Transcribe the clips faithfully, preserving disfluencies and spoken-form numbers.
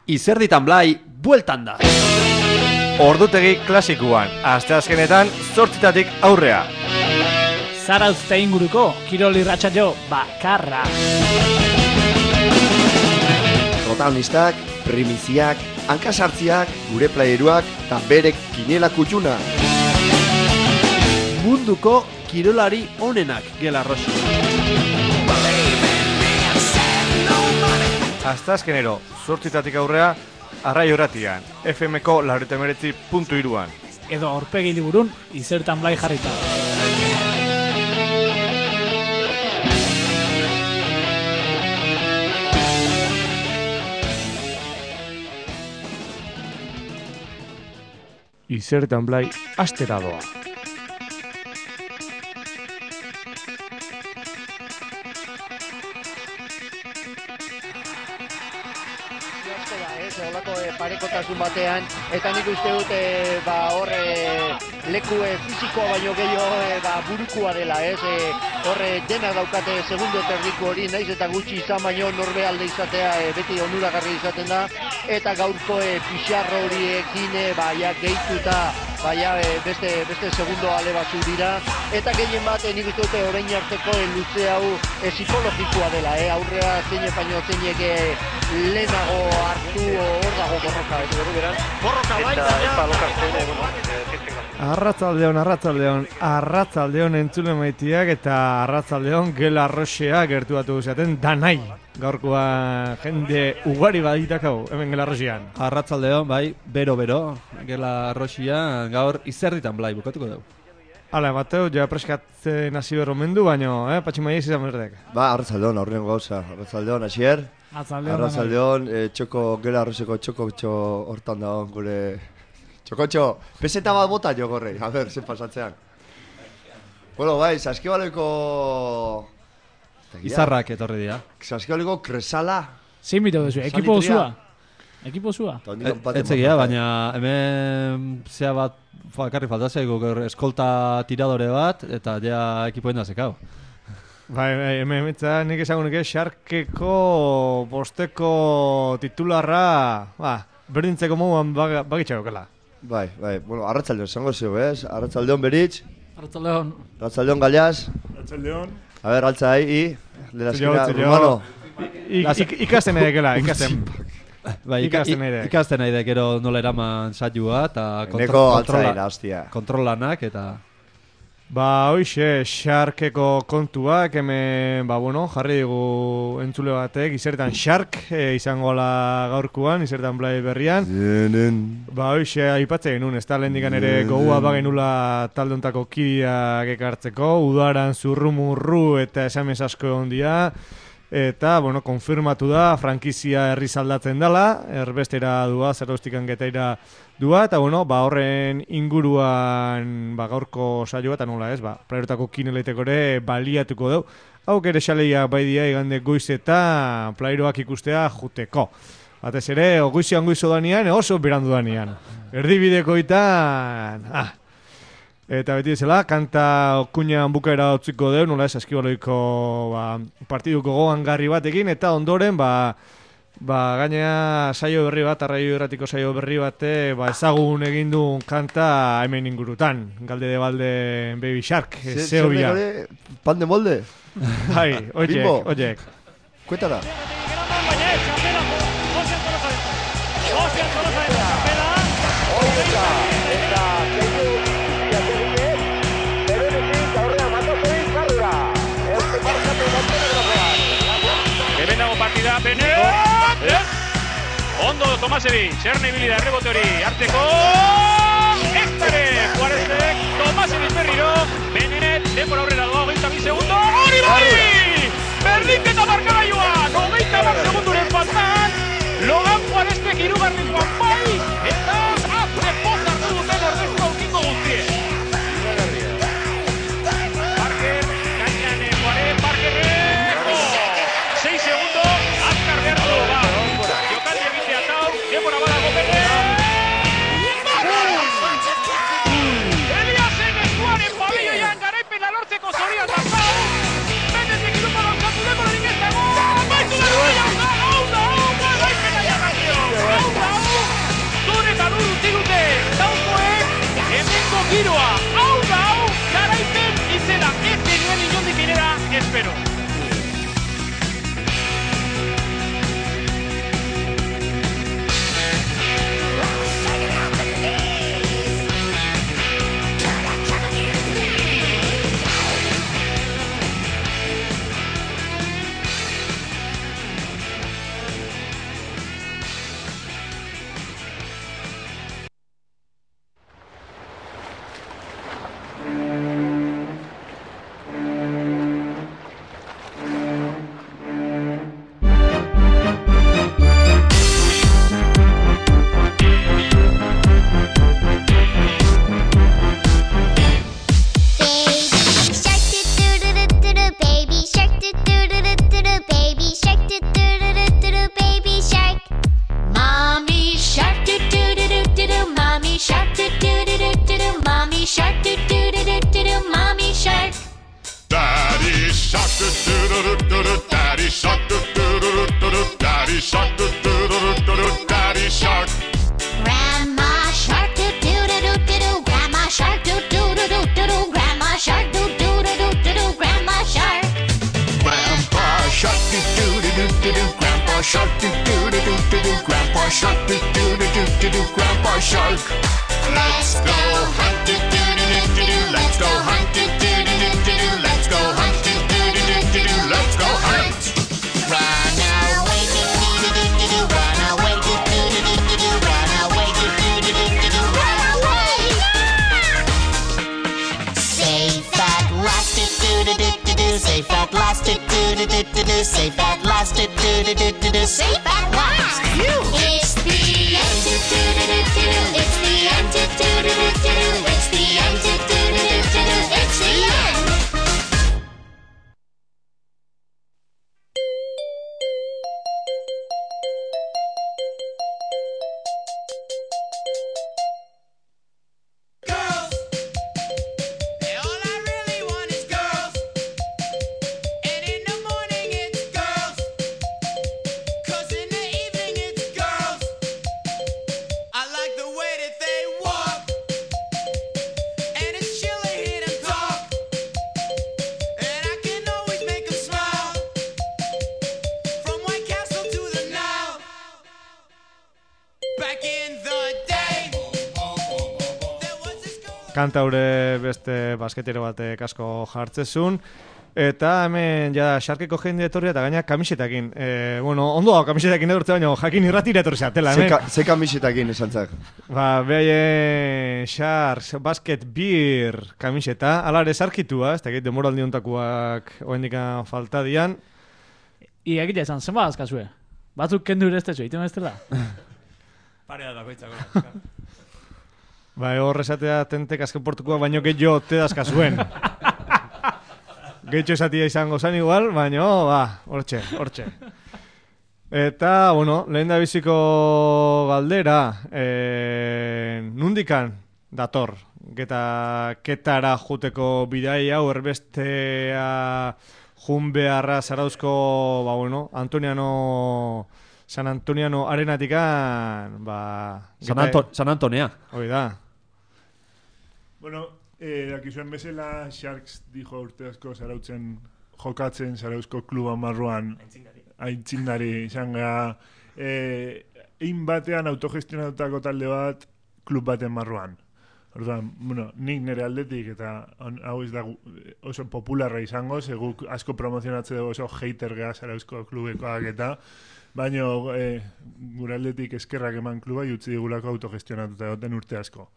Izerditan Blai, bueltan da. Ordutegi klasikuan, asteazkenetan zortzitatik aurrea. Zarauzte inguruko, kirol irratsaio bakarra. Protagonistak, primiziak, hankasartziak, gure playeruak eta berek kinela kutxuna. Munduko kirolari onenak gela rosi. Asteazkenero, zortzitatik aurrea, Arraio Irratian, F M-ko laurogeita hemeretzi puntu hiruan. Edo aurpegi liburun, Izerditan Blai jarrita. Izerditan Blai astera doa. Olako e, parekotasun batean, eta nik uste dut e, ba, horre leku e, fizikoa baino gehiago e, ba, burukua dela, ez? E, horre dena daukate segundo terdiko hori, naiz eta gutxi izan baino norbe alde izatea e, beti onuragarri izaten da, eta gaurko e, pixarro horiekin e, ba, ja, gehituta baina e, beste, beste segundo ale batzu dira, eta gehien bat e, nik uste dute orain arteko e, luze hau e, psikologikoa dela, e, aurrea zeine baino zeinek e, lehenago hartu hor dago borroka, ez berri beran. Borroka baita, Arratzaldeon, arratzaldeon, arratzaldeon entzule maitiak eta arratzaldeon gela arroxea gertuatu guziaten danai. Gaurkoa jende ugari baditakau, hemen gela arroxean. Arratzaldeon, bai, bero-bero, gela arroxia, gaur Izerditan Blai bukatuko dugu. Hala, Mateo, ja preskatzen hasi berro mendu, baino, eh, patximaiez izan berdek. Ba, arratzaldeon, aurren gauza, arratzaldeon, asier. Arratzaldeon, e, txoko, gela arrozeko txoko txo hortan da gure... Txoko txo, peseta bat bota jo gorrei, a ber, zen pasatzean. Bueno, bai, saskibaloiko... Izarrak etorri dira. Saskibaloiko kresala. Zein bito duzu, ekipo osua. Ekipo osua. Etzegia, baina hemen zea bat, karri faltazeiko, eskolta tiradore bat, eta ja ekipoen da zekau. Bai, bai, hemen emetza nik esango nuke Xarkeko bosteko titularra, ba, berdintzeko moduan bagitxakokela. Bai, bai, bueno, arratzaldeon, zango zeu, ez? Arratzaldeon beritz. Arratzaldeon. Arratzaldeon galiaz. Arratzaldeon. A ber, altzai, i, de la esquina, rumano. Ikasten edekela, ikasten. Bai, ikasten nahi gero nola eraman saioa eta kontrolanak eta... Ba, hoixe, Xarkeko kontuak, hemen, ba, bueno, jarri digu entzule batek, Izerditan Xark e, izango la gaurkuan, Izerditan Blai berrian. Zenen. Ba, hoixe, aipatzen genuen, ez da lehendikan ere gogua bagenula taldeontako kideak ekartzeko, udaran zurru-murru eta esamez asko egon dira, eta, bueno, konfirmatu da, frankizia herriz aldatzen dela, erbestera dua, zerraustikan getaira dua, eta, bueno, ba, horren inguruan, ba, gaurko saioa, eta nola ez, ba, plaierotako kineleiteko ere baliatuko dugu. Hau ere xaleia bai dia igande goizeta plaieroak ikustea juteko. Batez ere, goizian goizo danian, oso berandu danian. Erdibidekoitan, ah, eta beti ezela, kanta okuinan bukaera utziko deu, nola ez, Saskibaloiko ba, partiduko gogan garri batekin, eta ondoren, ba, ba, gainea saio berri bat, Arraio Irratiko saio berri bate, ba, ezagun egin du kanta hemen ingurutan. Galde de balde Baby Shark, zeo bia. Pan de molde? Hai, oiek, oiek. Kuetara. Partida, Benet! Ondo, Tomasevic, Erne ibilida errebote hori, hartzeko... Eztare, Juarezek, Tomasevic berriro, Benet, denbora aurrera doa, hogeita bi segundo, hori bai! Berdinketa markagailuan, hogeita bat segunduren faltan, Logan Juarezek hirugarrengoan bai, eta azte poz hartu duten ordezko aukiko guztien. Parker, gainean Juarez, Parkerreko, sei segundo, azkar behartu, ba, jokaldi egitea tau, denbora badago Benet! Eliasen eskuaren pabelloian garaipena lortzeko zorian da zau! Benetek irupa dauzkatu denborarik ez dago! Baitu da zorian zau! Daddy shark, daddy shark, daddy shark. Grandma shark, doo doo doo doo doo doo. Grandma shark, doo doo doo doo doo doo. Grandma shark, doo doo doo doo doo doo. Grandma shark. Grandpa shark, doo doo doo doo doo. Grandpa shark, doo doo doo doo doo. Grandpa shark, doo doo doo doo doo. Grandpa shark. Let's go hunt, doo doo doo doo doo. Let's go hunt, doo doo doo doo doo. Let's go hunt, doo doo doo doo doo. Let's go hunt. Run away, doo doo doo doo doo doo. Run away, doo doo doo doo doo doo. Run away, doo doo doo doo doo doo. Run away. Safe at last, doo doo doo doo doo doo. Safe at last, doo doo doo doo doo doo. Safe at last, doo doo doo doo doo doo. Safe at last. It's the end, doo doo doo doo doo. It's the end, doo doo doo doo doo. It's the end, doo doo doo doo doo. It's the end. Kantaure beste basketero batek asko jartzezun. Eta hemen ja Sharkeko jende etorria eta gaina kamisetakin. E, bueno, ondo hau kamisetakin edurtze baina jakin irratira etorri zatela. Ze, ka, ze kamisetakin esan zak? Ba, behaie Sharks Basket Beer kamiseta. Alare sarkitua, ez da egit demoraldi ontakuak oendikan falta dian. Ia egitea esan, zenba azkazue? Batzuk kendu ere ez tezu, iten ez dela? Parea da bakoitzako. Ba, hor esatea tentek azken portukoak baino gehiago te dazkazuen. Gehitxo esatia izango zan igual, baina, ba, hortxe, hortxe. Eta, bueno, lehen da biziko galdera, e, nundikan dator, geta ketara juteko bidai hau erbestea jun beharra zarauzko, ba, bueno, Antoniano... San Antoniano arenatikan, ba... San, Anto San Antonea. Hoi da. Bueno, eh, dakizuen bezala, Sharks dijo urte asko zarautzen jokatzen zarauzko kluba marruan. Aintzindari. Izan gara, eh, egin batean autogestionatutako talde bat klub baten marruan. Orduan, bueno, nik nire aldetik eta on, hau ez da oso popularra izango, seguk asko promozionatze dugu oso hater geha zarauzko klubekoak eta baina e, gure aldetik eskerrak eman kluba jutzi digulako autogestionatuta egoten urte asko.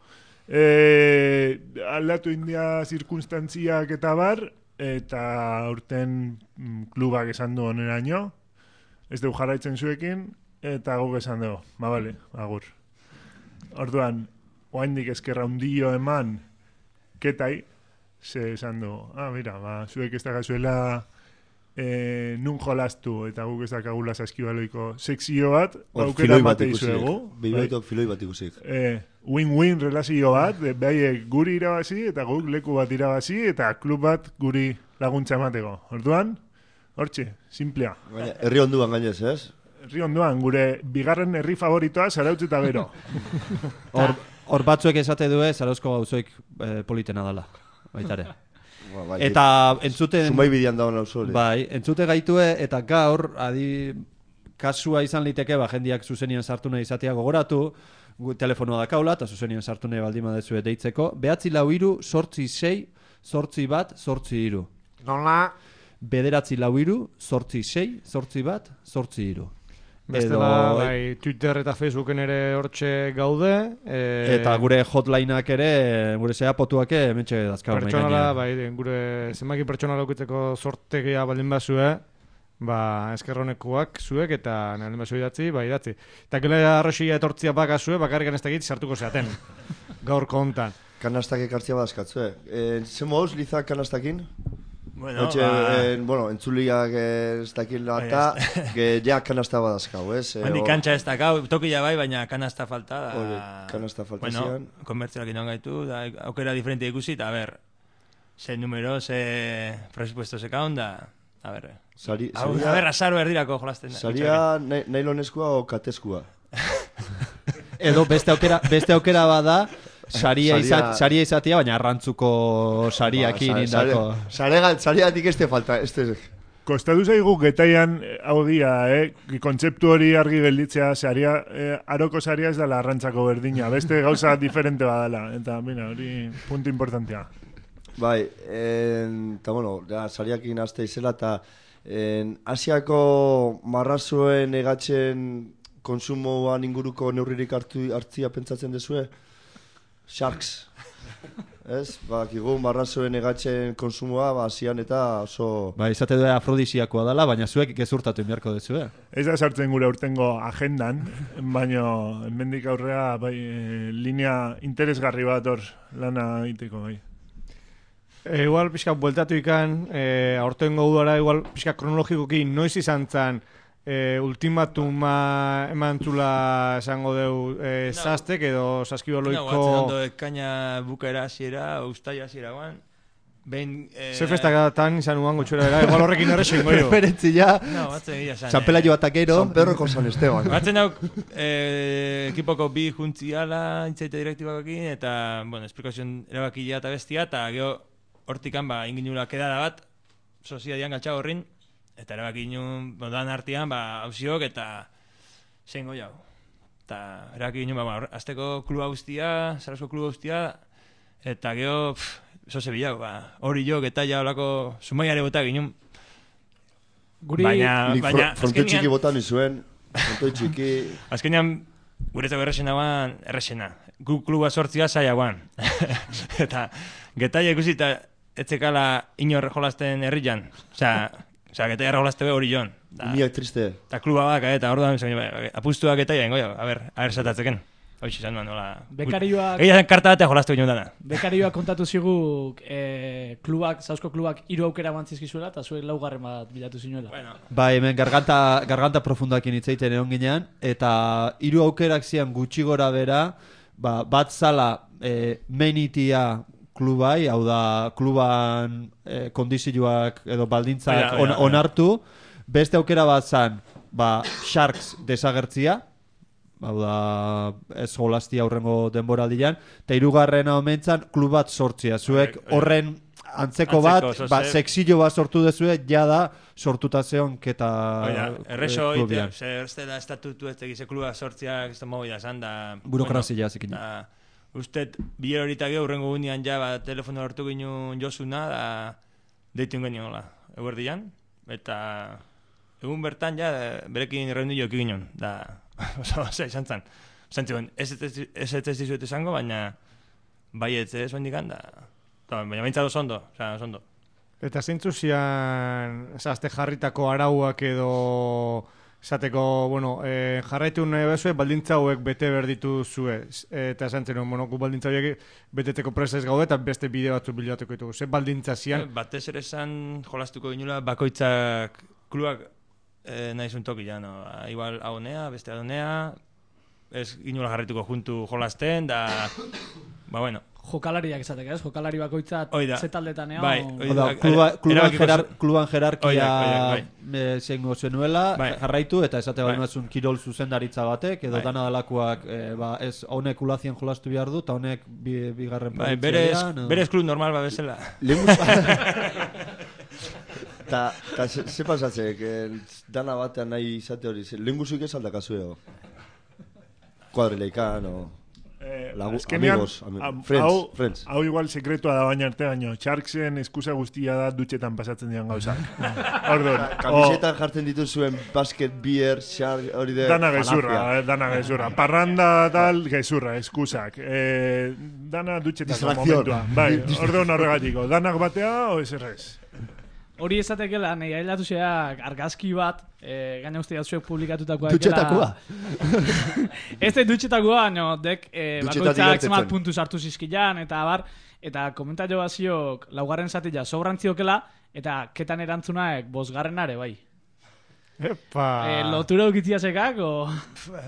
E, aldatu india zirkunstantziak eta bar, eta urten mm, klubak esan du oneraino, ez dugu jarraitzen zuekin, eta guk esan dugu, ba bale, agur. Orduan, oaindik eskerra hundio eman, ketai, ze esan du, ah, mira, ba, zuek ez da gazuela... E, nun jolastu eta guk ez dakagula saskibaloiko sekzio bat aukera bat izuegu Bilbaitok filoi bat ikusik e, win-win relazio bat behaiek guri irabazi eta guk leku bat irabazi eta klub bat guri laguntza emateko orduan, hortxe, simplea herri onduan gainez, ez? Herri onduan, gure bigarren herri favoritoa Zarautz eta gero Hor, hor batzuek esate due Zarauzko gauzoik eh, politena dela baitare. Ba, bai, eta entzuten Zumai bidian dagoen hau zole. Bai, entzute gaitue eta gaur adi kasua izan liteke ba jendiak zuzenian sartu nahi izatea gogoratu, gu telefonoa dakaula eta zuzenian sartu nahi baldin badezue deitzeko. Behatzi lau hiru, zortzi sei, zortzi bat, zortzi hiru. Nola? Bederatzi lau hiru, zortzi sei, zortzi bat, zortzi hiru. Bestela, edo, bai, Twitter eta Facebooken ere hortxe gaude. E... Eta gure hotlineak ere, gure zeapotuak hementxe dazkago. Pertsonala, bai, gure zenbaki pertsonala aukitzeko sortegia baldin bazue, ba, eskerronekuak zuek eta naldin bazu idatzi, ba, idatzi. Eta gile arroxia etortzia bakazue, bakarrik aneztakit sartuko zeaten. Gaur kontan. Kanastak ekartzia badazkatzue. E, Zemo hauz, Lizak kanastakin? Bueno, Otxe, ba... en, bueno, entzuliak ez dakila eta ge, ja kanasta badazkau, ez? E, Handi kantxa ez dakau, tokila bai, baina kanasta falta da. Ole, kanasta falta bueno, zian. Konbertzioak inon gaitu, da, aukera diferente ikusi, eta a ber, ze numero, ze presupuesto ze kaon da, A ber, Sari, a, saria, a ber, azaro erdirako jolasten da. Saria nailoneskua o kateskua? Edo beste aukera, beste aukera bada, saria, Saria- izat, saria izatea, baina arrantzuko sariakin Ba, sa- indako. sare- sare- Sariatik este falta, este... Kostatu zaigu getaian eh, hau dia, eh? Kontzeptu hori argi gelditzea, saria, eh, aroko saria ez dela arrantzako berdina, beste gauza diferente badala, eta mira, hori punto importantea. Bai, eta bueno, ja, sariakin aste izela, eta en, Asiako marrazuen egatzen konsumoan inguruko neurririk hartu hartzia pentsatzen dezue? Sharks. Ez? Bakigu marrazuen egatzen konsumoa, ba, Asian eta oso... Ba, izate du afrodisiakoa dela, baina zuek gezurtatu inbiarko dezu, eh? Ez da sartzen gure urtengo agendan, baino hemendik aurrea bai, eh, linea interesgarri bat hor lana egiteko bai. E, igual pixka bueltatu ikan, e, aurtengo udara igual pixka kronologikoki noiz izan zan e, ultimatuma eman zula esango deu e, No. zaztek edo saskiboloiko... No, batzen ondo ekaina bukaera hasiera, ustaia hasiera guan. Behin... Eh, Zer festakatan izan uan gutxura era, igual horrekin horrexen goio. Referentzia, No, batzen egia zan. San Pelayo Ataquero. San Perroko San Esteban. Batzen hauk eh, ekipoko bi juntziala intzaite direktibakokin, eta, bueno, esplikazion erabakia eta bestia, eta gero hortikan, ba, inginula kedada bat, soziadian galtxa horrin, eta erabaki inun, dan artean, ba, hausiok, eta zein goi hau. Eta erabaki inun, ba, ba, azteko kluba guztia, Zarauzko kluba guztia, eta gero, pff, zoze bilau, ba, hori jok, eta ja olako sumaiare botak inun. Guri... Baina, Nik baina, fro- frontoi txiki botan nizuen, frontoi txiki... azkenean, guretzako errexena guan, errexena. Gu kluba sortzia zaila guan. Eta, getaia ikusi eta etzekala inor jolasten herrian. Osea, osea getaia jolaste be hori joan. Da, Umiak triste. eta kluba baka, eta orduan, apustuak getaia ingo, a ber, a ber zatatzeken. Hoxe izan duen, nola... Bekarioak- Egia zen karta batea jolastu ginen dana. Bekarioak kontatu zigu eh, klubak, Zarauzko klubak hiru aukera mantzizkizuela, eta zuek laugarren bat bilatu zinuela. Bueno, Bai, hemen garganta, garganta profundakin hitzeiten egon ginean, eta hiru aukerak zian gutxi gora bera, ba, bat zala e, menitia klubai, hau da kluban e, kondizioak edo baldintzak Oida, oida, on, oida. onartu, beste aukera bat zan, ba, Sharks desagertzia, hau da ez jolastia aurrengo denboraldian, eta hirugarrena omentzan klub bat sortzia, zuek Oida, oida. horren antzeko bat, Antzeko, ba, zoze- sexillo bat sortu dezue, jada sortuta zeon keta oida, errexo eh, ite, klubian. zer ez dela estatutu ez tegize kluba sortziak, ez da movida zan, da... Burokrazia zikin. Da, usted, biler horita geho, urrengo gunean ja, ba, telefono hartu ginen Josuna, da, deitu genioen hola, eguerdian, eta egun bertan ja, berekin reunio joki ginen, da, oso, oso, izan zan. Zantzioen, ez ez ez ez ez dizuet esango, baina baietz ez oindikan, da, da, baina baintzat oso ondo, oza, oso ondo. Eta zeintzu zian, zazte jarritako arauak edo esateko, bueno, eh, jarraitu nahi bezue, baldintza hauek bete berditu zue. Eta esan zen, bueno, gu baldintza hauek beteteko presa ez gaude eta beste bide batzuk bilatuko ditugu. Ze baldintza zian? Batez ere esan jolastuko ginula bakoitzak klubak eh, nahi zuen tokia, no? Igual haunea, beste haunea, ez ginula jarrituko juntu jolasten, da, ba bueno. Jokalariak izateke, ez? Jokalari bakoitzat Hoi da. zetaldetan eo... Bai, Hau da, kluba, kluban, erabakiko jerar, zu- kluban jerarkia Oidak, oidak, eh, zengo zenuela, Bai. jarraitu, eta esate Bai. bali mazun kirol zuzendaritza batek, edo Bai. dana dalakoak, eh, ba, ez honek ulazien jolastu behar du, eta honek bi, bigarren Bai, provintzia berez, dira, no? berez klub normal ba bezala. Ta, ta ze, ze pasatzek, eh, dana batean nahi izate hori, ze- lehen guzuik ez aldakazueo? Kuadrileikan, o... Eh, Lagu- azkenean, amigos, ami- am- friends, hau, friends. hau igual sekretua da baina arte baino, Sharksen eskusa guztia da dutxetan pasatzen dian gauzak. Orduan, Kamisetan jartzen dituzuen basket, beer, shark, hori de... Dana gezurra, falafia. eh, dana gezurra. Parranda tal, gezurra, eskusak. Eh, dana dutxetako Distracción. momentua. Bai, orduan horregatiko. Danak batea, o ez errez. Hori ezatekela, nahi ailatu zeak argazki bat, eh, gaina uste jatzuek publikatutakoa. Dutxetakoa. Ez da dutxetakoa, no, dek eh, Dutxetatik bakoitzak gertetzen. zemat puntu sartu zizkilan, eta bar, eta komentario baziok laugarren zatila sobrantziokela, eta ketan erantzunaek bosgarrenare, bai. Epa! Eh, lotura ukitzia sekak, o...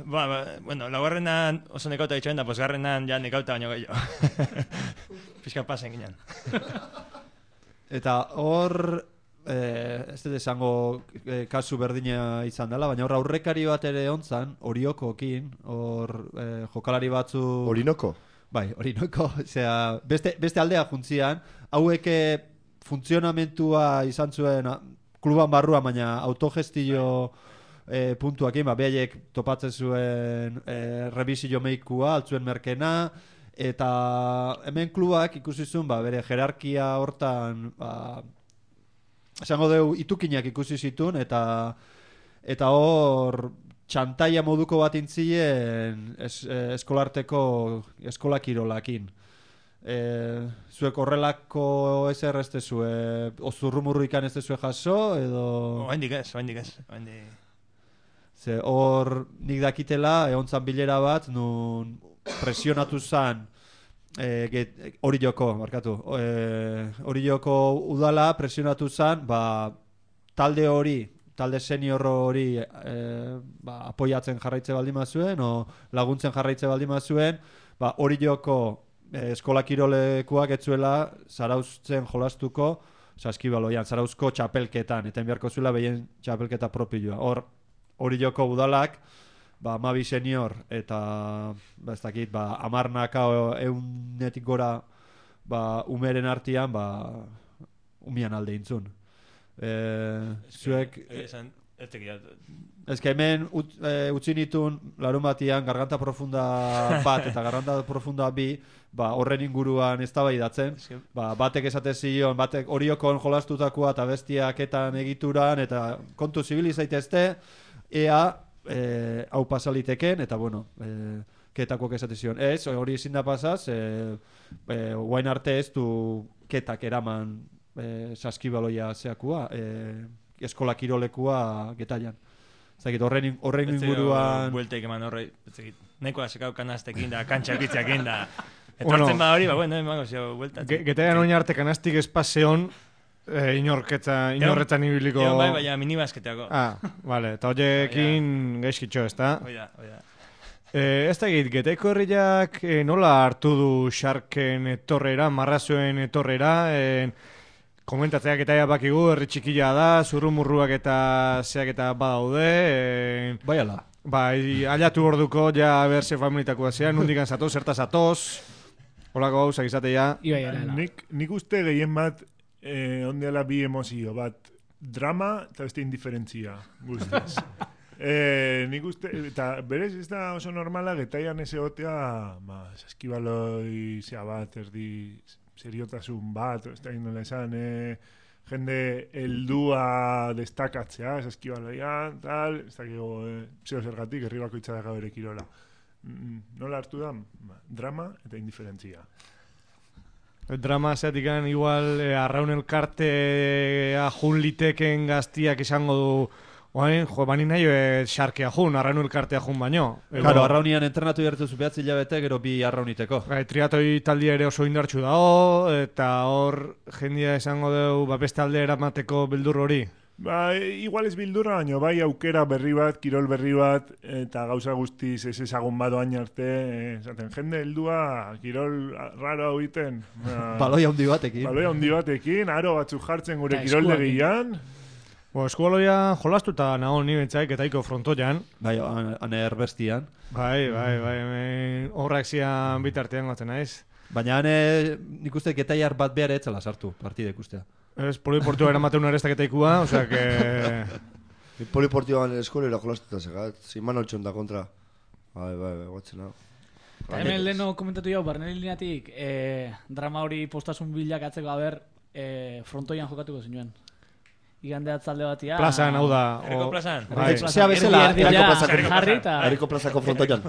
Ba, ba, bueno, laugarrenan oso nekauta ditxoen, da posgarrenan ja nekauta baino gehiago. Pizka pasen ginen. Eta hor, eh, ez dut esango eh, kasu berdina izan dela, baina hor aurrekari bat ere ontzan, Oriokokin, hor eh, jokalari batzu... Orinoko? Bai, Orinoko, osea, beste, beste aldea juntzian, hauek funtzionamentua izan zuen kluban barruan, baina autogestio eh, puntuakin, ba, behaiek topatzen zuen eh, revisio meikua, altzuen merkena, eta hemen klubak ikusi zuen, ba, bere jerarkia hortan, ba, esango deu itukinak ikusi zituen, eta eta hor txantaia moduko bat intzien es, eh, eskolarteko eskola kirolakin. E, zuek horrelako ezer ez dezue, ozurrumurru ikan ez dezue jaso, edo... Oaindik ez, oaindik ez. Oaindik... Ze hor nik dakitela, egontzan bilera bat, nun presionatu zan, e, hori joko, markatu, hori e, joko udala presionatu zan, ba, talde hori, talde senior hori e, ba, apoiatzen jarraitze baldima zuen, o laguntzen jarraitze baldima zuen, ba, hori joko e, eskola kirolekuak etzuela zarauztzen jolastuko, saskibaloian, zarauzko txapelketan, eta enbiarko zuela behien txapelketa propioa. Hor, hori joko udalak, ba, amabi senior, eta, ba, ez dakit, ba, amarnaka eunetik gora, ba, umeren artian, ba, umian alde intzun. E, zuek... Esan, ez tekiat... Ez que hemen ut, e, utzi nitun larun batian garganta profunda bat eta garganta profunda bi, ba, horren inguruan eztabaidatzen, ba, batek esate zion, batek Oriokon jolastutakoa eta bestiaketan egituran, eta kontu zibili zaitezte, ea e, hau pasaliteken, eta bueno, e, ketakoak esate zion. Ez, hori ezin da pasaz, e, e, guain arte ez du ketak eraman e, saskibaloia zeakua, e, eskola kirolekua getaian. Zagit, horren, horren inguruan... Buelteik eman horre, nahikoa sekau kanaztekin da, kantxakitzakin da. Etortzen bueno, ba hori, ba, bueno, emango zio, bueltatzen. Getaian oin arte kanaztik espaseon, eh, inorketza, inorretzan ibiliko... Egon bai, baina minibasketeako. Ah, vale, eta horiekin gaizkitxo, ez da? Oida, oida. Eh, ez da egit, Getaiko herriak eh, nola hartu du Sharken etorrera, marrazuen etorrera, eh, komentatzeak eta bakigu, herri txikila da, zurrumurruak eta zeak eta badaude. E... Bai ala. Bai, aliatu orduko, ja berse familitakoa zean, nundikan zatoz, zertaz zatoz. Olako hau, zakizate ja. Nik, nik uste gehien bat, eh, ondeala bi emozio, bat drama eta beste indiferentzia, guztiz. eh, nik uste, eta berez ez da oso normala, getaian ez egotea, ba, saskibaloi zea bat, erdi... seriotasun bat, ez da gindola esan, eh, jende heldua destakatzea, ez eskibaloian, tal, ez da gigo, eh, zeo zergatik, herri bakoitza daga bere kirola. Mm, nola hartu da? Ba, drama eta indiferentzia. Drama zeatik gan, igual, eh, arraun elkartea jun liteken gaztiak izango du, oain, jo, bani nahi e, xarkea jun, arraun elkartea jun baino. Claro, arraunian entrenatu jarretu zupeatzi hilabete, gero bi arrauniteko. Bai, triatoi taldia ere oso indartxu dago, eta hor jendia esango dugu, ba, beste alde eramateko bildur hori. Ba, igual ez bildurra, baino, bai aukera berri bat, kirol berri bat, eta gauza guztiz ez ezagun badoain arte, esaten, jende heldua, kirol raro hau iten. Ba, baloia handi batekin. Baloia handi batekin, aro batzuk jartzen gure kirol degian. Bo, eskubaloia jolastu eta nago ni bentsaik etaiko frontoian. Bai, ane erbestian. Bai, bai, bai, horrak zian bitartean gotzen naiz. Baina ane, nik uste getaiar bat behar etzela sartu, partida ikustea. Ez, poliportua eramaten una arestak etaikua, osea que... Poliportioan eskolera jolastu eta segat, ziman oltxon da kontra. Bai, bai, bai, gotzen hau. Eta hemen leheno komentatu jau, barneri lineatik, eh, drama hori postasun bilak atzeko haber, eh, frontoian jokatuko zinuen. Igande atzalde batia... Plazan, hau da. Herriko plazan. Zea bezala, Herriko plazako frontoian.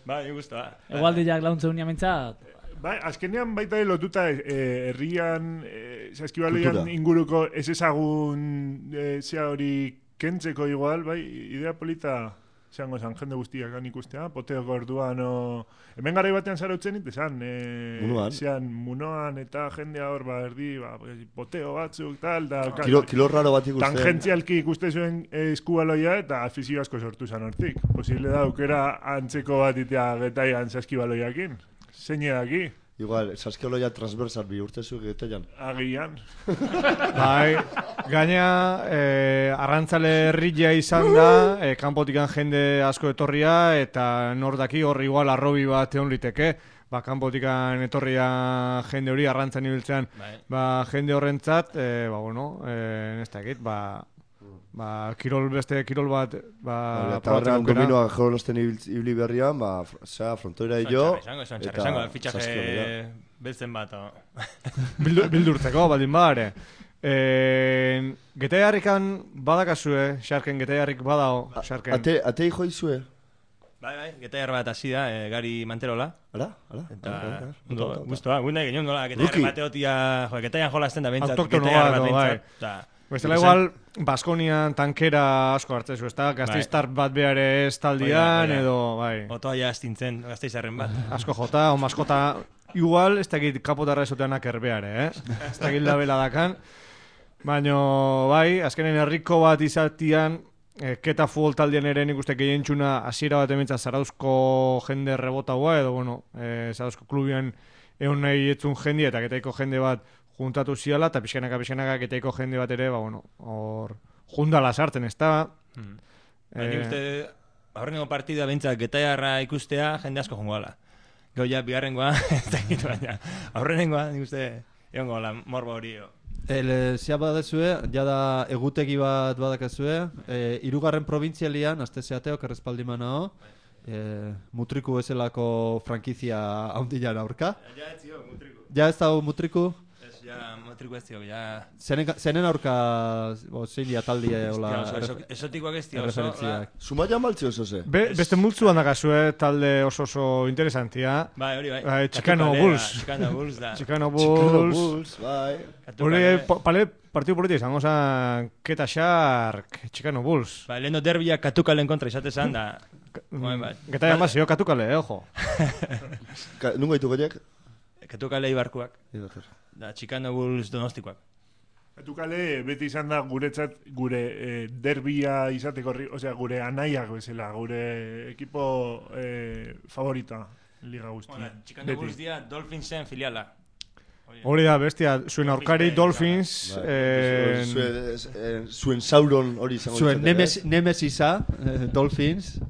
Bai, gusta. Egualdiak launtzen unia mentzat. Bai, azkenean baita lotuta eh, herrian, eh, saskibaloian inguruko ez ezagun eh, zea hori kentzeko igual, bai, idea polita zango zan, jende guztiak gan ikustea, poteoko orduan, o... Hemen garai batean zarautzen ite zan, eh, munoan. Zean, munoan eta jendea hor, ba, erdi, ba, poteo batzuk, tal, da... Kilo, kilo raro bat ikustea. Tangentzialki ikuste zuen eh, eskubaloia eta afizio asko sortu zan hortik. Posible da, aukera antzeko bat itea getaian saskibaloiakin. Zein edaki? Igual, saskioloia transversal bi urtezu geteian. Agian. Bai, gaina eh, arrantzale herria izan da, eh, kanpotikan jende asko etorria, eta nor daki hor igual arrobi bat egon liteke, ba, kanpotikan etorria jende hori arrantzan ibiltzean, ba, jende horrentzat, eh, ba, bueno, eh, ez dakit, ba, ba, kirol beste kirol bat, ba, eta horrean kominoa jolosten ibili berrian, ba, sea, frontoira jo, eta fitxaje beltzen bat. Bildurtzeko, baldin badare. Eh, Getaiarrikan badakazue, Xarken Getaiarrik badao, Xarken. Ate, ate hijo izue? Bai, bai, Getaiar bat hasi da, eh, Gari Manterola. Ara, ara. Eta, guztua, gune egin nola, Getaiar bateotia, jo, Getaian jolasten da bentsat, Getaiar bat bentsat. Bestela igual, Baskonian tankera asko hartzezu, ez da? Gazteiztar bat behar ez taldian, edo, bai. Otoa ja astintzen, Gasteizarren bat. Asko jota, o maskota, igual, ez dakit kapotarra esoteanak erbeare, eh? Ez dakit labela dakan. Baina, bai, azkenen herriko bat izatian, eh, keta futbol taldean ere nik uste gehien txuna hasiera bat ementza Zarauzko jende rebotaua, edo, bueno, eh, Zarauzko klubian egon nahi etzun jende, eta getaiko jende bat juntatu ziala, eta pixkanaka, pixkanaka, getaiko jende bat ere, ba, bueno, hor, jundala sartzen, ez da? Hmm. Ba, nik uste, aurrengo partida bentsat Getaiarra ikustea, jende asko jongoala. Gau ja, bigarrengoa, ez da egitu baina, aurrenengoa, nik uste, egon gola, morbo hori. El, zea badezue, jada egutegi bat badakazue, e, irugarren provintzialian, azte zeateok errespaldiman hau, e, Mutriku ezelako frankizia haundilan aurka. Ja ez zio, Mutriku. Ja ez da Mutriku? Ja, Mutriku ez zio, ja... Zenen aurka, zein dia taldi hola... Esotikoak ez zio, oso... Zumaia maltzi oso ze? Be, beste multzu handakazue talde oso oso interesantia. Bai, hori bai. Chicano Bulls. Chicano Bulls da. Chicano Bulls, bai. Hori, pale, partidu politi izango zan Keta Shark, Chicano Bulls. Ba, leheno derbiak Katukalen kontra izatezan da... Getaia mazio, Katukale, eh, ojo. Nungo ditu gaiek? Katukale Ibarkuak. Da, Chicano Bulls Donostikoak. Katukale beti izan da guretzat gure eh, derbia izateko, osea, gure anaiak bezala, gure ekipo eh, favorita liga guztia. Bueno, Chicano Bulls dia Dolphinsen filiala. Hori da, bestia, zuen aurkari Dolphins... Zuen Sauron hori izango zuen Nemesisa, Dolphins,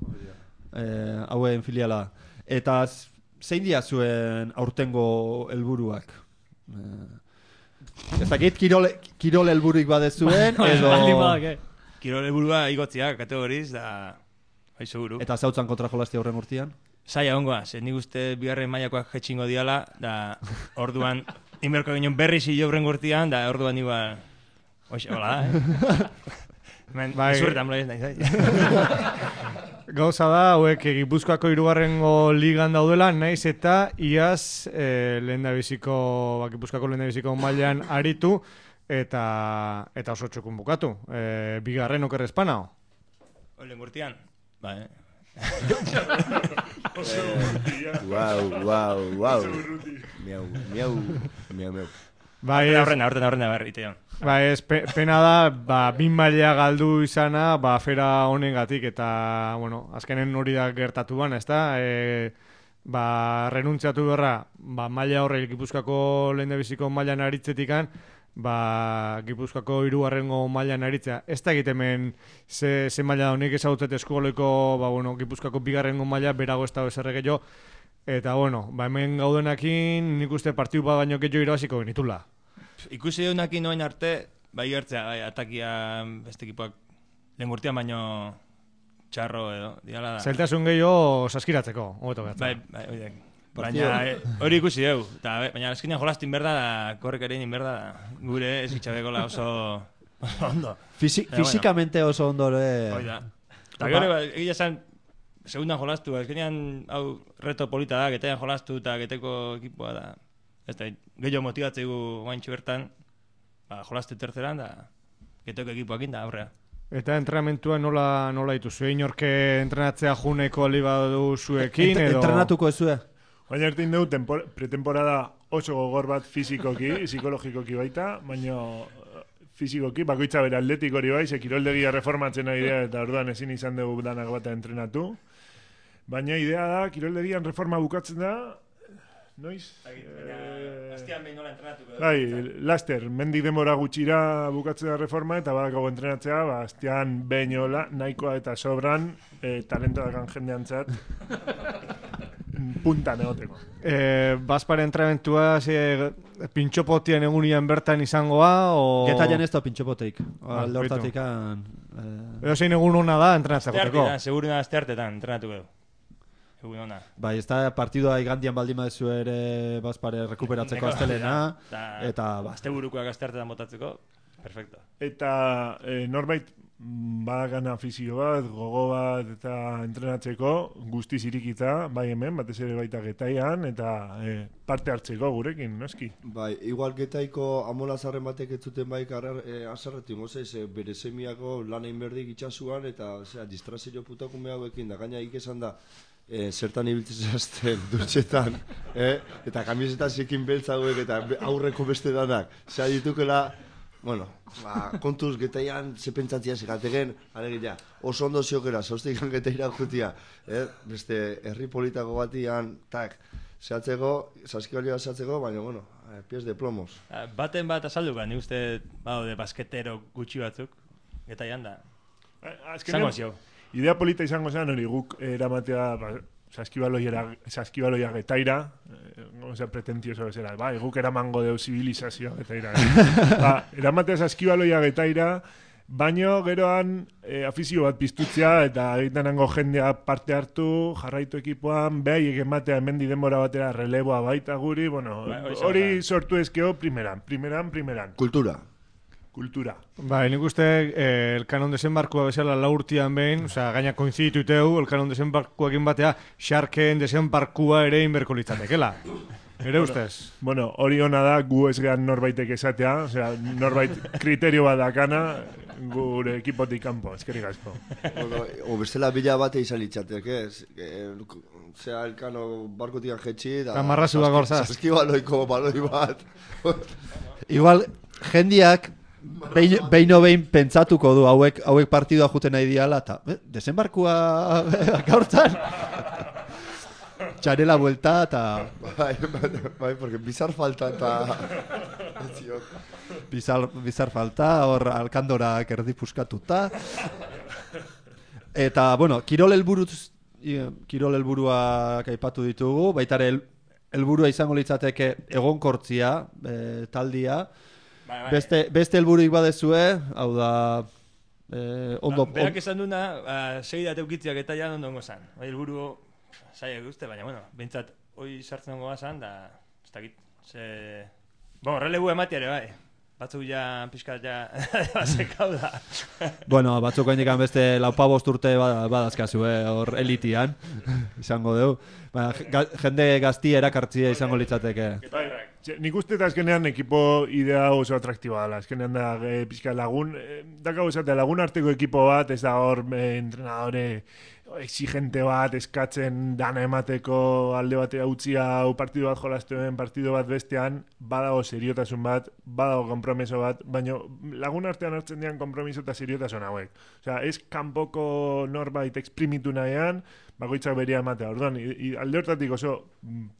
hauen filiala. Eta zein dia zuen aurtengo helburuak? Ez dakit kirol, kirol helburuik badezuen, edo... Kirol helburua igotziak kategoriz, da... Bai, seguru. Eta zautzan kontra jolastia horren urtean? Zaila ongoa, ze nik uste bigarren mailakoak jetxingo diala, da orduan inberko ginen berri zilo horren urtean, da orduan igual... Oixe, hola, eh? Men, zurretan bloiz nahi, zai? Gauza da, hauek Gipuzkoako hirugarrengo ligan daudela, naiz eta iaz eh, lehendabiziko, ba, Gipuzkoako lehendabiziko mailan aritu, eta eta oso txukun bukatu. Eh, bigarren oker espanao. Olen gurtian, ba, eh? Guau, guau, guau. Miau, miau, miau, miau. Bai, horrena, horrena, horrena, berritean. Ba, ez, pe, pena da, ba, bin maila galdu izana, ba, afera honengatik, eta, bueno, azkenen hori da gertatu bana, ez da? E, ba, renuntziatu berra, ba, maila horre Gipuzkoako lehendabiziko mailan aritzetikan, ba, Gipuzkoako hirugarrengo mailan aritzea. Ez da egitemen ze, ze maila da honik ezagutzet eskugoleiko, ba, bueno, Gipuzkoako bigarrengo maila berago ez da bezerreke jo, eta, bueno, ba, hemen gaudenakin nik uste partidu bat baino gehiago irabaziko genitula. Ikusi duenakin noen arte, bai gertzea, bai, atakia beste ekipoak lehengurtian baino txarro edo, diala da. Zailtasun gehiago saskiratzeko, hobeto behatza. Bai, bai, bai, baina hori ikusi dugu, eta baina eskinean jolaztin berda da, korrekerin inberda da, gure ez itxabekola oso, oso ondo. Fisi, Eta, fisikamente bueno, oso ondo, eh? Hoi da. Eta gero, egia esan, segundan jolaztu, eskinean hau reto polita da, Getaian jolaztu eta Geteko ekipoa da. Ez da, gehiago motibatzegu guaintxu bertan, ba, jolazte terceran, da, Geteko ekipoak inda, aurrea. Eta entrenamentua nola, nola dituzu? Inorke entrenatzea juneko ali badu zuekin, edo... Entrenatuko ezue? Baina ertin dugu, pretemporada oso gogor bat fizikoki, psikologikoki baita, baina fizikoki, bakoitza bera atletik hori bai, ze kiroldegia reformatzen nahi idea, eta orduan ezin izan dugu danak bata entrenatu. Baina idea da, kiroldegian reforma bukatzen da, noiz? Astian behin nola entrenatuko. Bai, laster, mendik denbora gutxira bukatzea reforma eta badakago entrenatzea, ba, astian behin hola, nahikoa eta sobran, e, talento dakan jendeantzat, puntan egoteko. Eh, Bazpare entrenamentua, ze, pintxopotien egunian bertan izangoa, o... Getaian ez da pintxopoteik. Alde hortatik an... Edo zein egun hona da entrenatzeko. Asteartetan, seguru da asteartetan entrenatuko du. Egun hona. Bai, ez da partidua igandian baldin badezu ere Bazpare rekuperatzeko astelena. Eta... Asteburukoak asteartetan botatzeko, perfecto. Eta e, norbait badakan afizio bat, gogo bat eta entrenatzeko guztiz irikita, bai hemen, batez ere baita Getaian, eta e, parte hartzeko gurekin, noski? Bai, igual Getaiko amolazarren batek ez zuten bai e, azarretik, mozez, e, bere semiako lan egin berdik itxasuan, eta zera, distrazio putakume hauekin, da gaina ikesan da, e, zertan ibiltzen zazten, dutxetan, e, eta kamisetan zekin beltza hauek, eta aurreko beste danak, zera ditukela, bueno, ba, kontuz Getaian ze pentsatzia segategen, alegia, oso ondo ziokera, zauztikan Getaira jutia, eh? Beste herri politako batian, tak, zehatzeko, saskibalioa zehatzeko, baina, bueno, eh, pies de plomos. Baten bat azalduka, ni uste, baude, basketero gutxi batzuk, Getaian da. Zango zio. Idea polita izango zen, hori guk eramatea, ba, saskibaloia, saskibaloia Getaira, eh, osea, pretentioso bezala, bai, guk eramango deu zibilizazioa Getaira. Eh? Ba, eramatea saskibaloia Getaira, baino geroan eh, afizio bat piztutzea, eta egitenango jendea parte hartu, jarraitu ekipoan, behaiek ematea hemendi denbora batera releboa baita guri, bueno, hori sortu ezkeo primeran, primeran, primeran. Kultura. Kultura. Bai, nik uste eh, el kanon desembarkua bezala laurtian behin, osea, gaina koinzidituteu, el kanon desembarkuakin batea, Sharken desembarkua ere inberko litzatekela. Ere ustez? Bueno, hori hona da, gu ez gehan norbaitek esatea, osea, norbait kriterio bat dakana, gure ekipotik kanpo, eskerrik asko. Bueno, o bestela bila bate izan litzateke, zera elkano barkotik jetxi, da... Marrazu da gorzaz. Saskibaloiko baloi bat. Igual, jendiak... Beino behin pentsatuko du hauek hauek partidua juten nahi diala eta eh, desembarkua gaurtzan txarela buelta eta bai, bai, bai, porque bizar falta eta bizar, bizar falta hor alkandorak erdi puskatuta eta bueno, kirol helburuz kirol helburuak aipatu ditugu, baita ere helburua izango litzateke egonkortzia e, taldia. Bai, bai. Beste, beste helburuik badezue, hau da... Eh, ondo, ba, berak esan duna, uh, segida teukitziak eta jan ondo ongo zan. Bai, helburu zaiak guzti, baina, bueno, behintzat, hoi sartzen ongo zan, da, ez dakit, ze... Bueno, relebu ematia ere, bai. Batzuk ja, pixkat ja, basekau da. Bueno, batzuk haindikan beste laupa bost urte badazkazu, eh, hor elitian, izango dugu. Baina, jende gazti erakartzia izango litzateke. Bai, nik uste eta azkenean ekipo idea oso atraktiboa dela. Azkenean da e, pixka lagun, e, dakau esatea lagun arteko ekipo bat, ez da hor e, entrenadore exigente bat, eskatzen dana emateko alde batea utzi hau partidu bat jolastuen, partidu bat bestean, badago seriotasun bat, badago kompromiso bat, baina lagun artean hartzen dian kompromiso eta seriotasun hauek. Osea, ez kanpoko norbait exprimitu nahian, bakoitzak beria ematea. Orduan, alde hortatik oso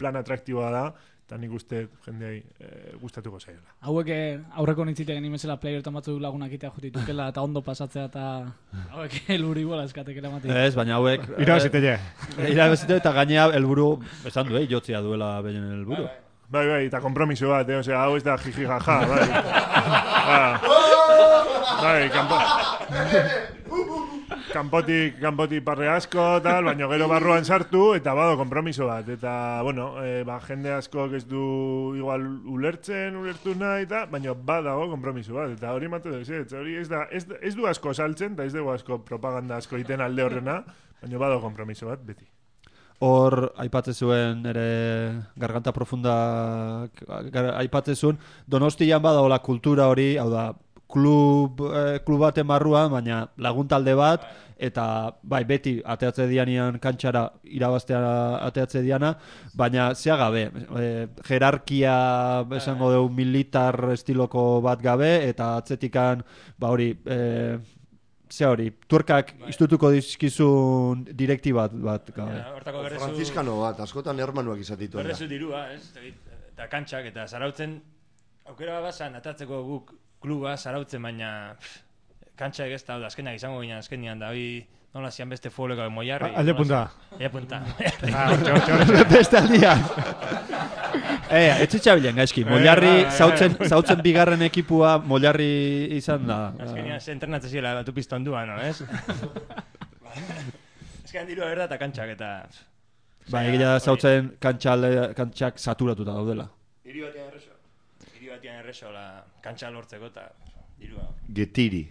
plan atraktiboa da, eta nik uste jendeai e, gustatuko zaiola. Hauek aurreko nintzite geni bezala playertan batzu lagunak itea jutitukela eta ondo pasatzea eta hauek helburu iguala eskatekela matik. Ez, baina hauek... Irabazitele. Irabazitele eta gainea helburu, esan du, eh, jotzia duela behinen helburu. Bai, bai, eta kompromiso bat, eh? Osea, hau ez da jiji jaja, bai. Bai, kanpo... Kanpotik, kanpotik parre asko, tal, baina gero barruan sartu, eta bado kompromiso bat. Eta, bueno, e, ba, jende asko ez du igual ulertzen, ulertu nahi, eta, baina badago kompromiso bat. Eta hori matu duz, ez, hori ez, da, ez, ez du asko saltzen, eta ez dugu asko propaganda asko iten alde horrena, baina badago kompromiso bat, beti. Hor, aipatzen zuen, ere, garganta profunda, gar, aipatzen zuen, Donostian badagoela kultura hori, hau da, klub, eh, klub baten barruan, baina lagun talde bat, eta bai, beti ateatze dianian kantxara irabaztea ateatze diana, baina zea gabe, e, jerarkia esango dugu militar estiloko bat gabe, eta atzetikan, ba hori, e, ze hori, tuerkak iztutuko dizkizun direktibat bat, gabe. Hortako berrezu... Franziskano bat, askotan hermanuak izatitu. Berrezu dirua, ez? Eta kantxak, eta zarautzen, aukera basan, atatzeko guk kluba zarautzen, baina kantxak ez da, azkenak izango ginen, azkenian da, hoi nola zian beste fuoleko Moiarri. Alde punta. Alde punta. Beste aldian. Eh, etxitxabilen gaizki, Moiarri zautzen bigarren ekipua Moiarri izan da. Azkenian ze entrenatzen ziela batu pizton duan, no, ez? Azkenean dirua berda eta kantxak, eta... Ba, egia zautzen kantxak saturatuta daudela. Hiri batian erreso. Hiri batian erreso, la kantxa lortzeko eta dirua. Getiri.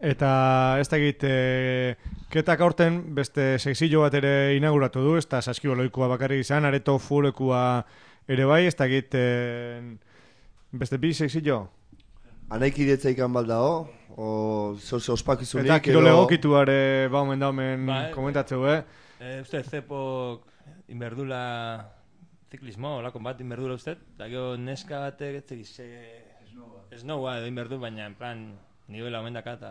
Eta ez dakit, e, ketak aurten beste sexillo bat ere inauguratu du, ez da saskiboloikoa bakarrik izan, areto fulekoa ere bai, ez dakit, e, beste bi sexillo? Anaiki detzaikan baldao, o zoze ospakizunik. Eta kirole egokituare baumen daumen ba, komentatzeu, eh? E, uste, zepok inberdula ziklismo, olakon bat inberdula uste, da gero neska batek etzegiz esnoua edo inberdu, baina en plan nivela omendaka eta...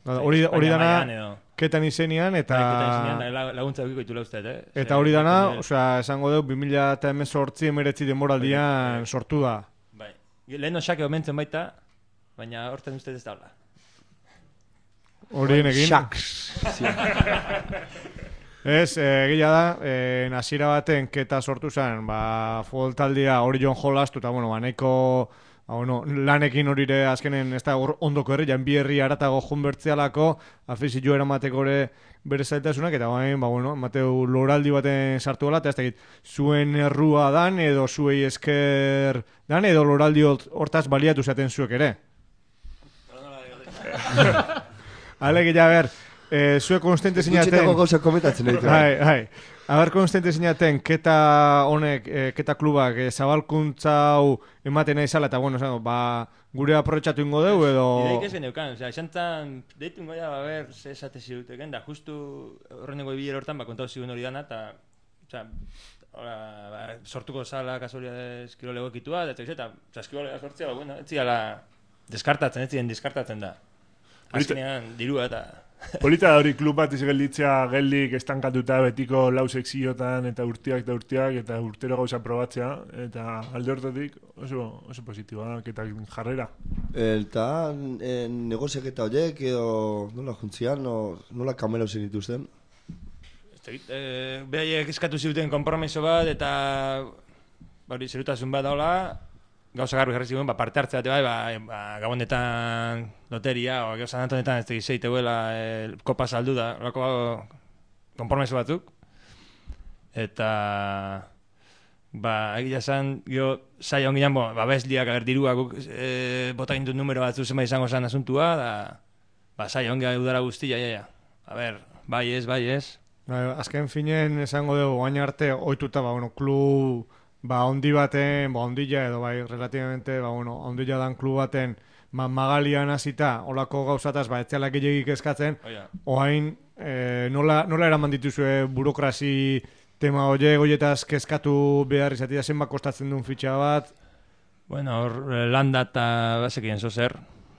Hori dana ketan izenian eta... Ketan izenian laguntza eukiko itula uste, eh? Eta hori dana, osea, esango deu, bi mila hemezortzi emeretzi denboraldian sortu da. Bai, lehen osake omentzen baita, baina horten uste ez daula. Horien egin? Shaks. Ez, egia da, e, nazira baten keta sortu zen, ba, futbol taldea hori joan jolastu, eta, bueno, ba, nahiko, ba, bueno, lanekin horire azkenen, ez da, ondoko herri, jan bi herri aratago junbertzialako, afizio eramateko ere bere zailtasunak, eta bain, ba, bueno, mateu loraldi baten sartu gala, eta ez dakit, zuen errua dan, edo zuei esker dan, edo loraldi hortaz baliatu zaten zuek ere. Alegia, ber, Eh, zue konstante zinaten... Gutxetako gauza komentatzen ditu. Hai, hai. Aber konstante zinaten, keta honek, eh, keta klubak, eh, zabalkuntza hau ematen nahi zala, eta bueno, zan, ba, gure aprobetxatu ingo deu, edo... Ideik ez geneukan, osea, esantzan, deitu ingo da, ba, ber, ze esate ziruteken, da, justu horreneko ibiler hortan, ba, kontau zigun hori dana, eta, osea, ora, ba, sortuko zala kasualidades kirolego ekitua, eta, eta, osea, eskibolega sortzea, ba, bueno, ez ziala deskartatzen, ez ziren deskartatzen da. Azkenean, dirua eta... Polita da hori klub bat izgelditzea geldik estankatuta betiko lau sekziotan eta urtiak eta urtiak eta urtero gauza probatzea eta alde hortatik oso, oso positiboa eta jarrera. Eta e, negoziak eta horiek edo nola juntzian, no, nola kamera usen dituzten? E, Behaiek eskatu ziruten konpromiso bat eta hori zerutasun bat daula gauza garbi jarri zigun, ba, parte hartzea bat, ba, ba, gabonetan loteria, o gauza nantonetan ez tegiz zeiteuela e, kopa saldu da, lako konpromeso batzuk. Eta, ba, egia esan, gio, saia onginan, bo, ba, bezliak, ager, dirua, guk, e, bota gintu numero batzu zenbait izango zen asuntua, da, ba, saia ongia udara guztia, ja, ja. A ber, bai ez, bai ez. Ba, azken finen esango dugu, baina arte, oituta, ba, bueno, klub... Ba, ondi baten, ba, ondila edo, bai, relativamente, ba, bueno, ondila dan klub baten ma, magalian hasita, olako gauzataz, ba, etzialak gehiagik eskatzen, oh, yeah. Oain, e, nola, nola eraman dituzue burokrasi tema oie, goietaz kezkatu behar izatea zenba kostatzen duen fitxa bat? Bueno, hor, landa eta basekien zozer,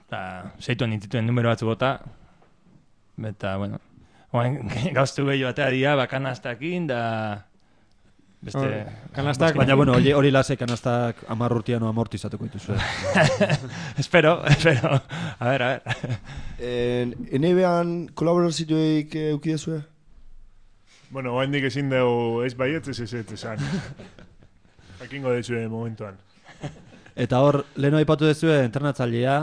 eta zeituen nintituen numero batzu bota, eta, bueno, oain, gauztu gehiago batea dira, ba, kanastakin, da... Beste, kanastak, baina bueno, hori, hori lase kanastak amarrurtian o amortizatuko dituzue. espero, espero. A ver, a ver. Ene behan kolaborazioik eukidezue? Bueno, oa hendik ezin dugu ez baiet ez ez ez esan. Hakingo dezue momentuan. Eta hor, leheno aipatu dezue entrenatzailea,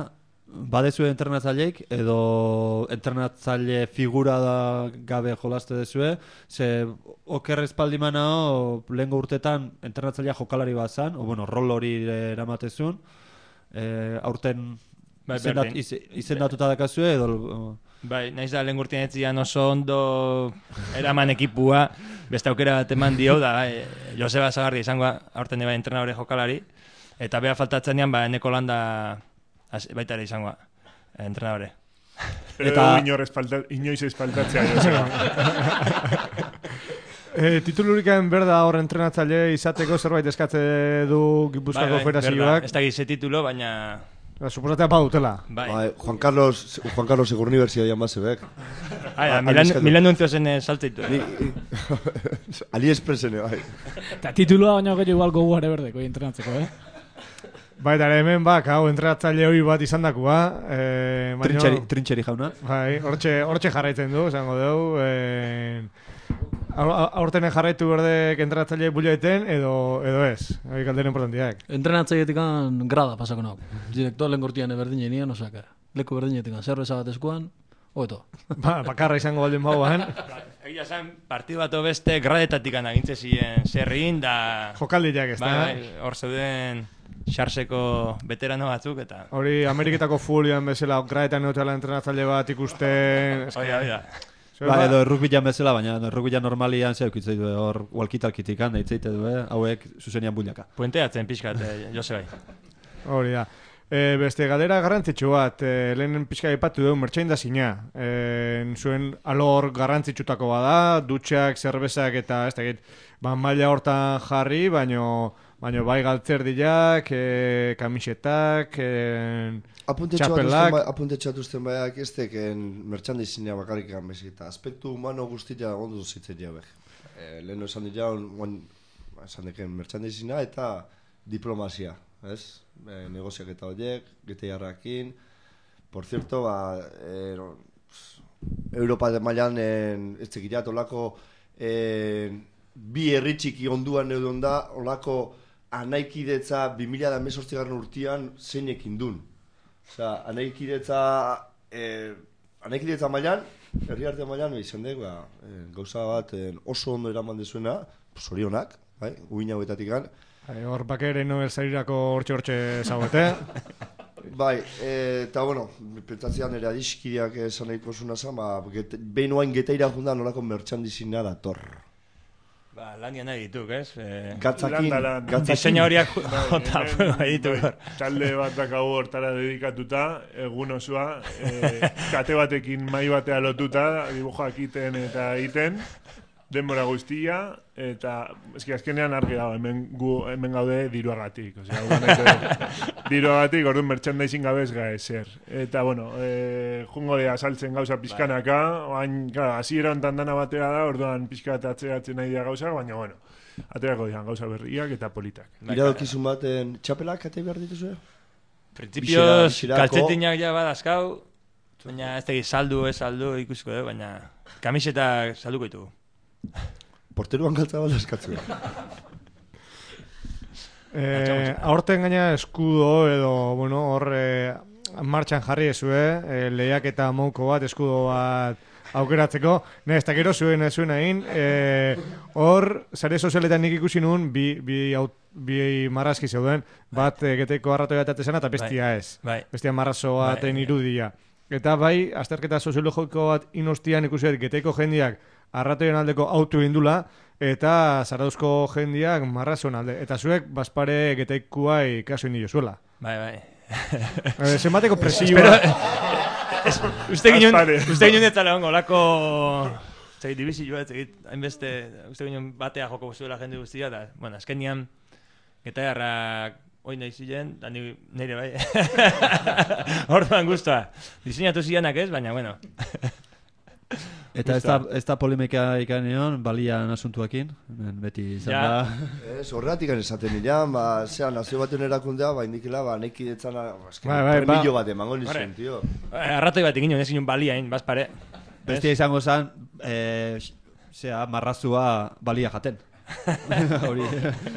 badezue entrenatzaileik edo entrenatzaile figura da gabe jolaste dezue, ze oker espaldimana o lehengo urtetan entrenatzailea jokalari bat zan, o bueno, rol hori eramatezun, e, aurten bai, izendat, iz, izendatuta dakazue edo... Bai, naiz da lehen urtean etzian oso ondo eraman ekipua, beste aukera bat eman dio, da, bai, Joseba Zagarri izango aurten bai entrenadore jokalari, eta beha faltatzen ean, ba, eneko landa baita ere izangoa, entrenadore. Eta inoiz espaltatzea, Joseba. E, titulurikaen berda hor entrenatzaile izateko zerbait eskatze du Gipuzkoako federazioak. Ez da gize titulo, baina... Suposatea pa dutela. Bai. Bai, Juan Carlos, Juan Carlos Egur Universidad mazebek. Bai, Milan, Milan nuntzo zen saltzeitu. AliExpressen, bai. Eta titulua baina gero igual goguare berdeko entrenatzeko, eh? Bai, eta hemen bak, hau, entrenatzaile hori bat izan dakua. Eh, Trintxeri, trintxeri jauna. Bai, hortxe, hortxe jarraitzen du, esango dugu. Eh, aurtenen jarraitu berdek entrenatzaile buloeten edo, edo ez. Hori kaldera importantiak. Entrenatzailetik grada pasako nago. Direktor lehen gortian berdin jenien, osaka. Leku berdinetik zerbeza bat eskuan, hoeto. Ba, bakarra izango baldin bauan. Egia zen, partidu bat beste gradetatik agintze ziren zerrin, da... Jokaldiak ez da. Bai, hor zeuden xarseko veterano batzuk, eta... Hori, Ameriketako futbolian bezala gradetan neutela entrenatzaile bat ikusten... Oida, oida. Ba, edo errukbilan bezala, baina errukbilan normalian ze eukitzei du, hor walkitalkitikan deitzeite du, eh? Hauek zuzenian builaka. Puenteatzen pixkat, eh, Jose bai. Hori da. E, beste galdera garrantzitsu bat, e, lehen pixka ipatu dugu merchandising-a. E, zuen alor garrantzitsutako bada, dutxak, zerbezak eta ez dakit, ba, maila hortan jarri, baino, baino bai galtzerdiak, e, kamisetak, e, txapelak. Apuntetxatuzten baiak ez teken merchandising-a bakarrikan bezik, eta aspektu humano guztia ondo zitzen jabek. E, lehen esan dira, esan deken merchandising-a eta diplomazia. Ez? E, negoziak eta horiek, gete jarrakin. Por cierto, ba, e, no, Europa de mailan ez tekirat, olako e, bi herritxiki onduan eudon da, olako anaikidetza bi mila hemezortzigarren urtean zeinekin dun. Osea, anaikidetza e, anaikidetza mailan, herri arte mailan izan dek, ba, e, gauza bat e, oso ondo eraman dezuena, zorionak, bai, uin hauetatik gan. Hor bakeren Nobel sarirako hortxe-hortxe zagoete. Bai, eta bueno, pentsatzean ere adiskideak esan nahiko zuna zen, ba, behin oain geteira jundan nolako merchandising-a dator. Ba, lanian nahi dituk, ez? E... Gatzakin, gatzakin. Diseña horiak jota nahi dituk. Talde bat dakagu hortara dedikatuta, egun osoa, e, kate batekin mai batea lotuta, dibujoak iten eta iten, denbora guztia, eta eski azkenean argi dago, hemen, gu, hemen gaude diruagatik. Osea, diruagatik, orduan merchandising gabe ez gae zer. Eta, bueno, e, jungo de asaltzen gauza pizkanaka, oain, claro, hasiera hontan dana batera da, orduan pizkat atzeratzen nahi dira gauza, baina, bueno, aterako dian gauza berriak eta politak. Iradokizun baten txapelak kate behar dituzue? Principios, kaltzetinak ja badazkau, baina ez tegi saldu, ez saldu ikusiko, eh? Baina kamisetak salduko ditugu. Porteruan galtza bala eskatzu. eh, aurten gaina eskudo edo, bueno, hor eh, martxan jarri ezue, eh, lehiak eta mouko bat, eskudo bat aukeratzeko. Ne, ez da gero zuen zuen egin, eh, hor, sare sozialetan nik ikusi nun, bi, bi, aut, bi marrazki zeuden, bat eh, geteko arrato bat atezena eta bestia ez. Bai. Bestia marrazo baten bai, irudia. Eta bai, azterketa soziologiko bat inostian ikusi geteko jendiak arratoien aldeko autu indula, eta zarauzko jendiak marrazon alde. Eta zuek, bazpare geteikuai kaso indi jozuela. Bai, bai. E, zenbateko presioa... Uste ginen, uste ginen etzala hongo, lako... Zegit, dibizioa, zegit, hainbeste, uste ginen batea joko zuela jende guztia, da, bueno, azken nian, geta jarrak hoi nahi ziren, da nire bai. Orduan guztua. Diseinatu zianak ez, baina, bueno... Eta ez da, ez da polemika ikanean, balian asuntuakin, beti izan ja. Da. Ez, horretik esaten nirean, ba, zera, nazio baten erakundea, ba, indikila, ba, neki detzan, ba, bai, bai, premilo bat emango nizuen, tio. Arratoi bat egin, ez ginen baliain, bazpare. Bestia izango zen, eh, zera, marrazua balia jaten. Hori,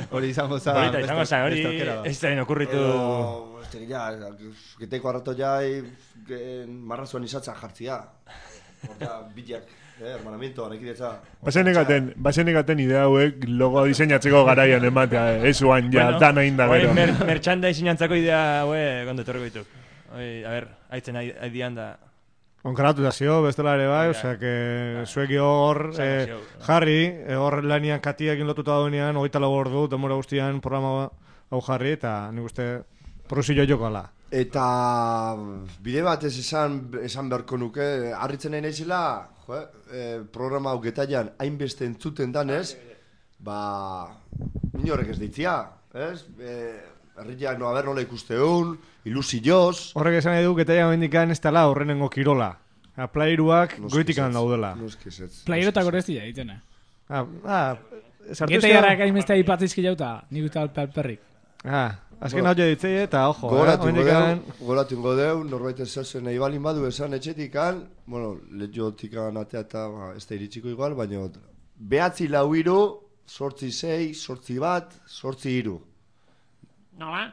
hori izango zen. Horita izango zen, hori, ez da inokurritu... Ez da, ja, geteko arratoia marrazuan izatzen jartzia. Horta, bilak, eh, hermanamiento, anekidetza. Basenekaten, basenekaten idea hauek logo diseinatzeko garaian ematea, eh, ez uan, ja, bueno, dana inda gero. Mer, mertxanda diseinantzako idea hauek, gondo etorriko dituk. Oi, a ber, haitzen haidian da... Onkaratu da zio, bestela ere bai, osea, que zuek hor eh, jarri, hor lanian katiakin lotuta daunean, hogeita lau ordu, demora guztian programa hau jarri, eta nik uste prosillo joko ala. Eta bide bat ez esan, esan beharko nuke, harritzen nahi nahizela, jo, eh, programa hau getaian hainbeste entzuten danez, ba, inorrek ez ditzia, ez? Eh, herriak no, haber nola ikusteun, ilusioz. Horrek esan nahi du, getaia mendikan ez dela horrenengo kirola. Plairuak goitikan daudela. Plairotak horrezti egiten, eh? Ah, ah, Getaiarrak hainbeste aipatzizki jauta, nik uste alperrik. Ah, azken hau ditzei eta, ojo, Goratu eh? ingo deu, goratu ingo deu, norbait esasen nahi balin badu esan etxetikan, bueno, letiotikan atea eta ba, ez da iritsiko igual, baina behatzi lau iru, sortzi sei, sortzi bat, sortzi iru. Nola?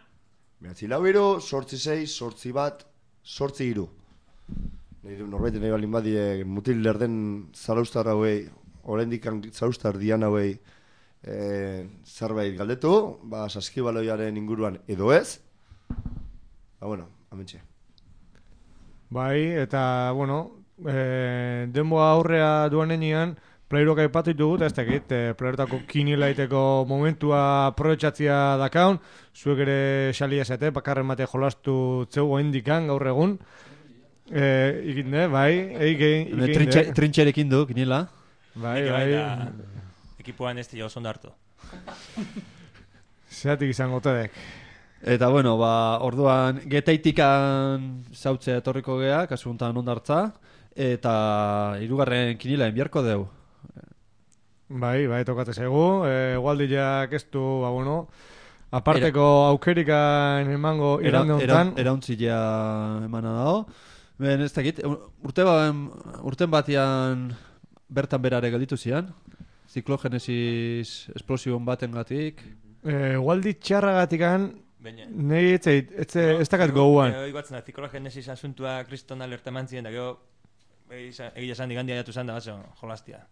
Behatzi lau iru, sortzi sei, sortzi bat, sortzi iru. Norbait nahi balin badie mutil lerden zaraustar hauei, oraindik zaraustar dian hauei, E, zerbait galdetu, ba, saskibaloiaren inguruan edo ez. Ba, bueno, amentxe. Bai, eta, bueno, e, denboa aurrea duan enean, playroak aipatu ditugu, eta ez dakit, e, playerotako kinilaiteko momentua aprobetxatzia dakaun, zuek ere xalia esate, bakarren bate jolastu zeu indikan gaur egun. E, ikinde, bai, egin, ikinde. Trintxerekin du, kinila. Bai, bai. Ekipoan ez dira oso ondartu. Zeatik izango tedek. Eta bueno, ba, orduan getaitikan zautzea etorriko gea, kasu honetan ondartza, eta hirugarren kinila enbiarko deu. Bai, bai, tokatez egu, e, gualdiak ez du, ba, bueno, aparteko era, aukerikan emango irande honetan. Era, erauntzilea emana dago. Ben, ez dakit, urte ba, urten batian bertan berare gelditu zian. Ziklogenesis esplosión baten gatik. Eh, Waldi txarra gatikan, nahi ez dakat goguan. Ego batzen da, ziklogenesis asuntua kriston alerta mantzien, da gero egia esan digandia jatu zan da, baso, jolastia.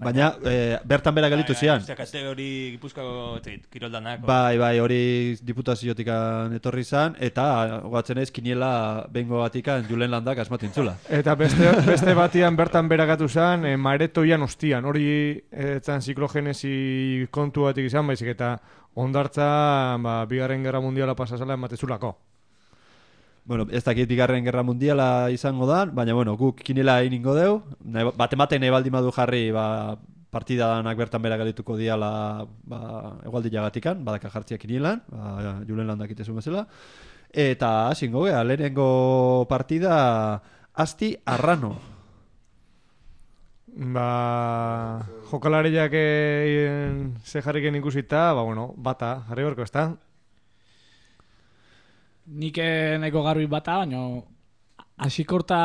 Baina, e, bertan bera galitu zian. Ostia, kategori gipuzkako kiroldanak. Bai, bai, hori diputaziotikan etorri zan, eta guatzen ez, kiniela bengo batikan Julen Landak asmatintzula. Eta beste, beste batian bertan bera gatu zan, e, maretoian ostian, hori etzan ziklogenesi kontu batik izan, baizik, eta ondartza, ba, bigarren gerra mundiala pasazala ematezulako. Bueno, ez dakit bigarren gerra mundiala izango da, baina bueno, guk kinela egingo deu, bate-maten nahi baldin badu jarri ba, partidanak bertan bera galituko diala ba, egualdilagatikan, badaka jartzia kinielan, ba, Julen Landak itezun bezala, eta hasingo gea, lehenengo partida Asti Arrano. Ba, jokalariak ze jarriken ikusita, ba, bueno, bata, jarri gorko ez da. Nik nahiko garbi bata, baina asikorta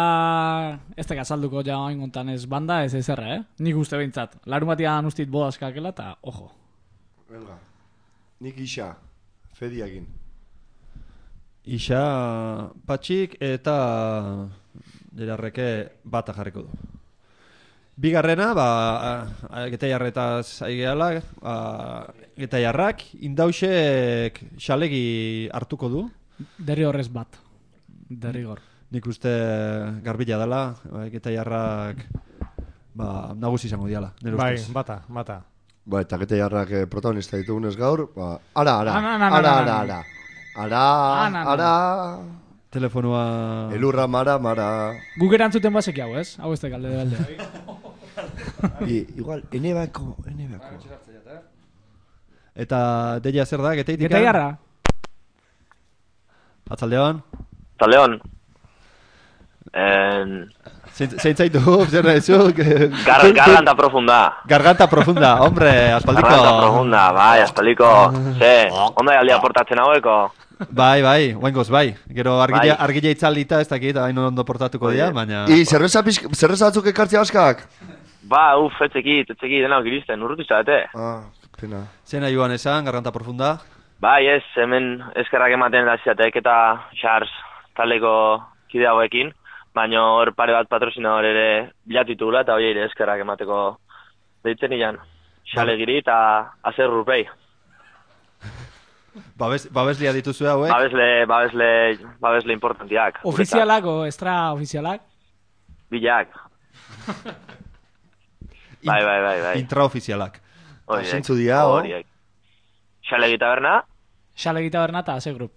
ez teka azalduko ja oingontan ez banda, ez ezerra, eh? Nik uste behintzat. Larun batian ustit bodazkakela eta, ojo. Venga, nik isa, fediakin. Isa, patxik eta derarreke bata jarriko du. Bigarrena, ba, getaiarretaz aigeala, getaiarrak, indausek xalegi hartuko du. Derri horrez bat. Derrigor. Nik uste garbila dela, getaiarrak ba, nagusi izango diala. Bai, bata, bata. Ba, eta getaiarrak eh, protagonista ditugunez gaur, ba, ara, ara, ara, ara, ara, ara, ara, telefonua... Elurra, mara, mara. Guk erantzuten baseki hau, ez? Hau ez da galde de balde. I, igual, enebako, enebako. Eta deia zer da, getaitika? Getaiarra. Atzaldeon? Atzaldeon. En... Zein zaitu, zer nahi zu? Gar, garganta profunda. Garganta profunda, hombre, aspaldiko. Garganta profunda, bai, aspaldiko. Ze, ondo aldi aportatzen haueko. Bai, bai, guengoz, bai. Gero argila, bai. Argila itzaldita, ez dakit, hain ondo portatuko dira, baina... I, zerreza batzuk ekartzea askak? Ba, uf, etzekit, etzekit, dena okiristen, urrutu izate. Ah, pena. Zena joan esan, garganta profunda? Bai, ez, hemen eskerrak ematen da ziatek eta Charles taleko kide hauekin, baina hor pare bat patrozinador ere bilatitula eta hori ere eskerrak emateko deitzen ilan. Xalegiri eta azer rupei. Babes, babeslia dituzu hauek? Babesle, babesle, babesle importantiak. Ofizialak o extra ofizialak? Bilak. bai, bai, bai, bai. Intraofizialak. Zentzu dia, hori. Xalegi taberna? Xalegi taberna eta ase grup.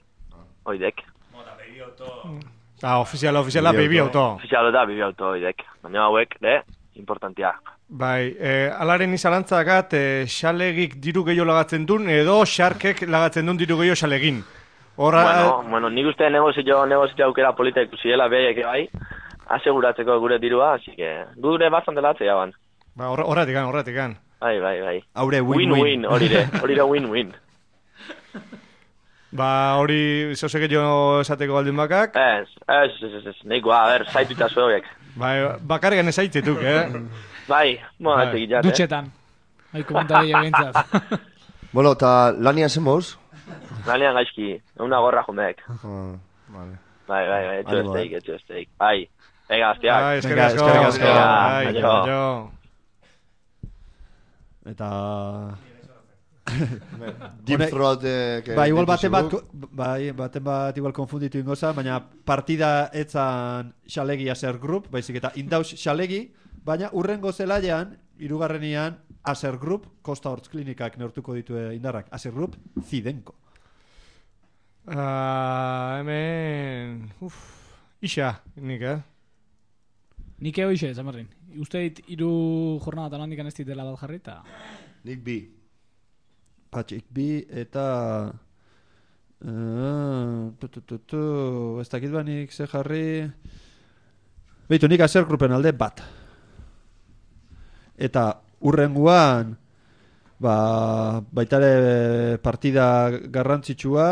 Oidek. Mota, baby auto. Ah, ofiziala, ofiziala, baby auto. Ofiziala da, baby auto, oidek. Baina hauek, de, importantia. Bai, eh, alaren izalantzakat, eh, xalegik diru gehiago lagatzen duen, edo xarkek lagatzen duen diru gehiago xalegin. Horra... Bueno, bueno, nik uste negozio, negozio aukera polita ikusiela behek bai, aseguratzeko gure dirua, así que gure bastante latzea ban. Ba, horretik gan, horretik gan. Bai, bai, bai. Haure win-win. Win-win, horire, horire win-win. Ba, hori zozeke jo esateko baldin bakak. Ez, ez, ez, ez, ez, neikoa, a ber, zaituta zuek. Bai, bakargan ez aitzetuk, eh? Bai, moa, ez egit jate. Dutxetan. Bai, komentari egintzat. Bueno, eta lanian zen moz? Lanian gaizki, una gorra jumek. Ah, vale. Bai, bai, bai, etxo esteik, etxo esteik. Bai, ega, azteak. Bai, eskerrik asko. Eskerrik asko. Bai, Aio. aio. Eta... Deep throat... eh, Ba, igual dituzu baten bat, guk. bai, baten bat igual konfunditu ingoza, baina partida etzan xalegi aser group, baizik eta indaus xalegi, baina urrengo zelaian, hirugarrenian aser group, Costa Hortz klinikak neurtuko ditu indarrak, aser group, zidenko. Ah, hemen... Uf, isa, nik, eh? Nik eo ixe, zamarrin. Uste dit, iru jornada talan dikan ez ditela bat jarri, eta... Nik bi. Patxik bi, eta... Uh, tu, tu, tu, tu, ez dakit banik ze jarri... Beitu, nik aser grupen alde bat. Eta urrenguan... Ba, baitare partida garrantzitsua...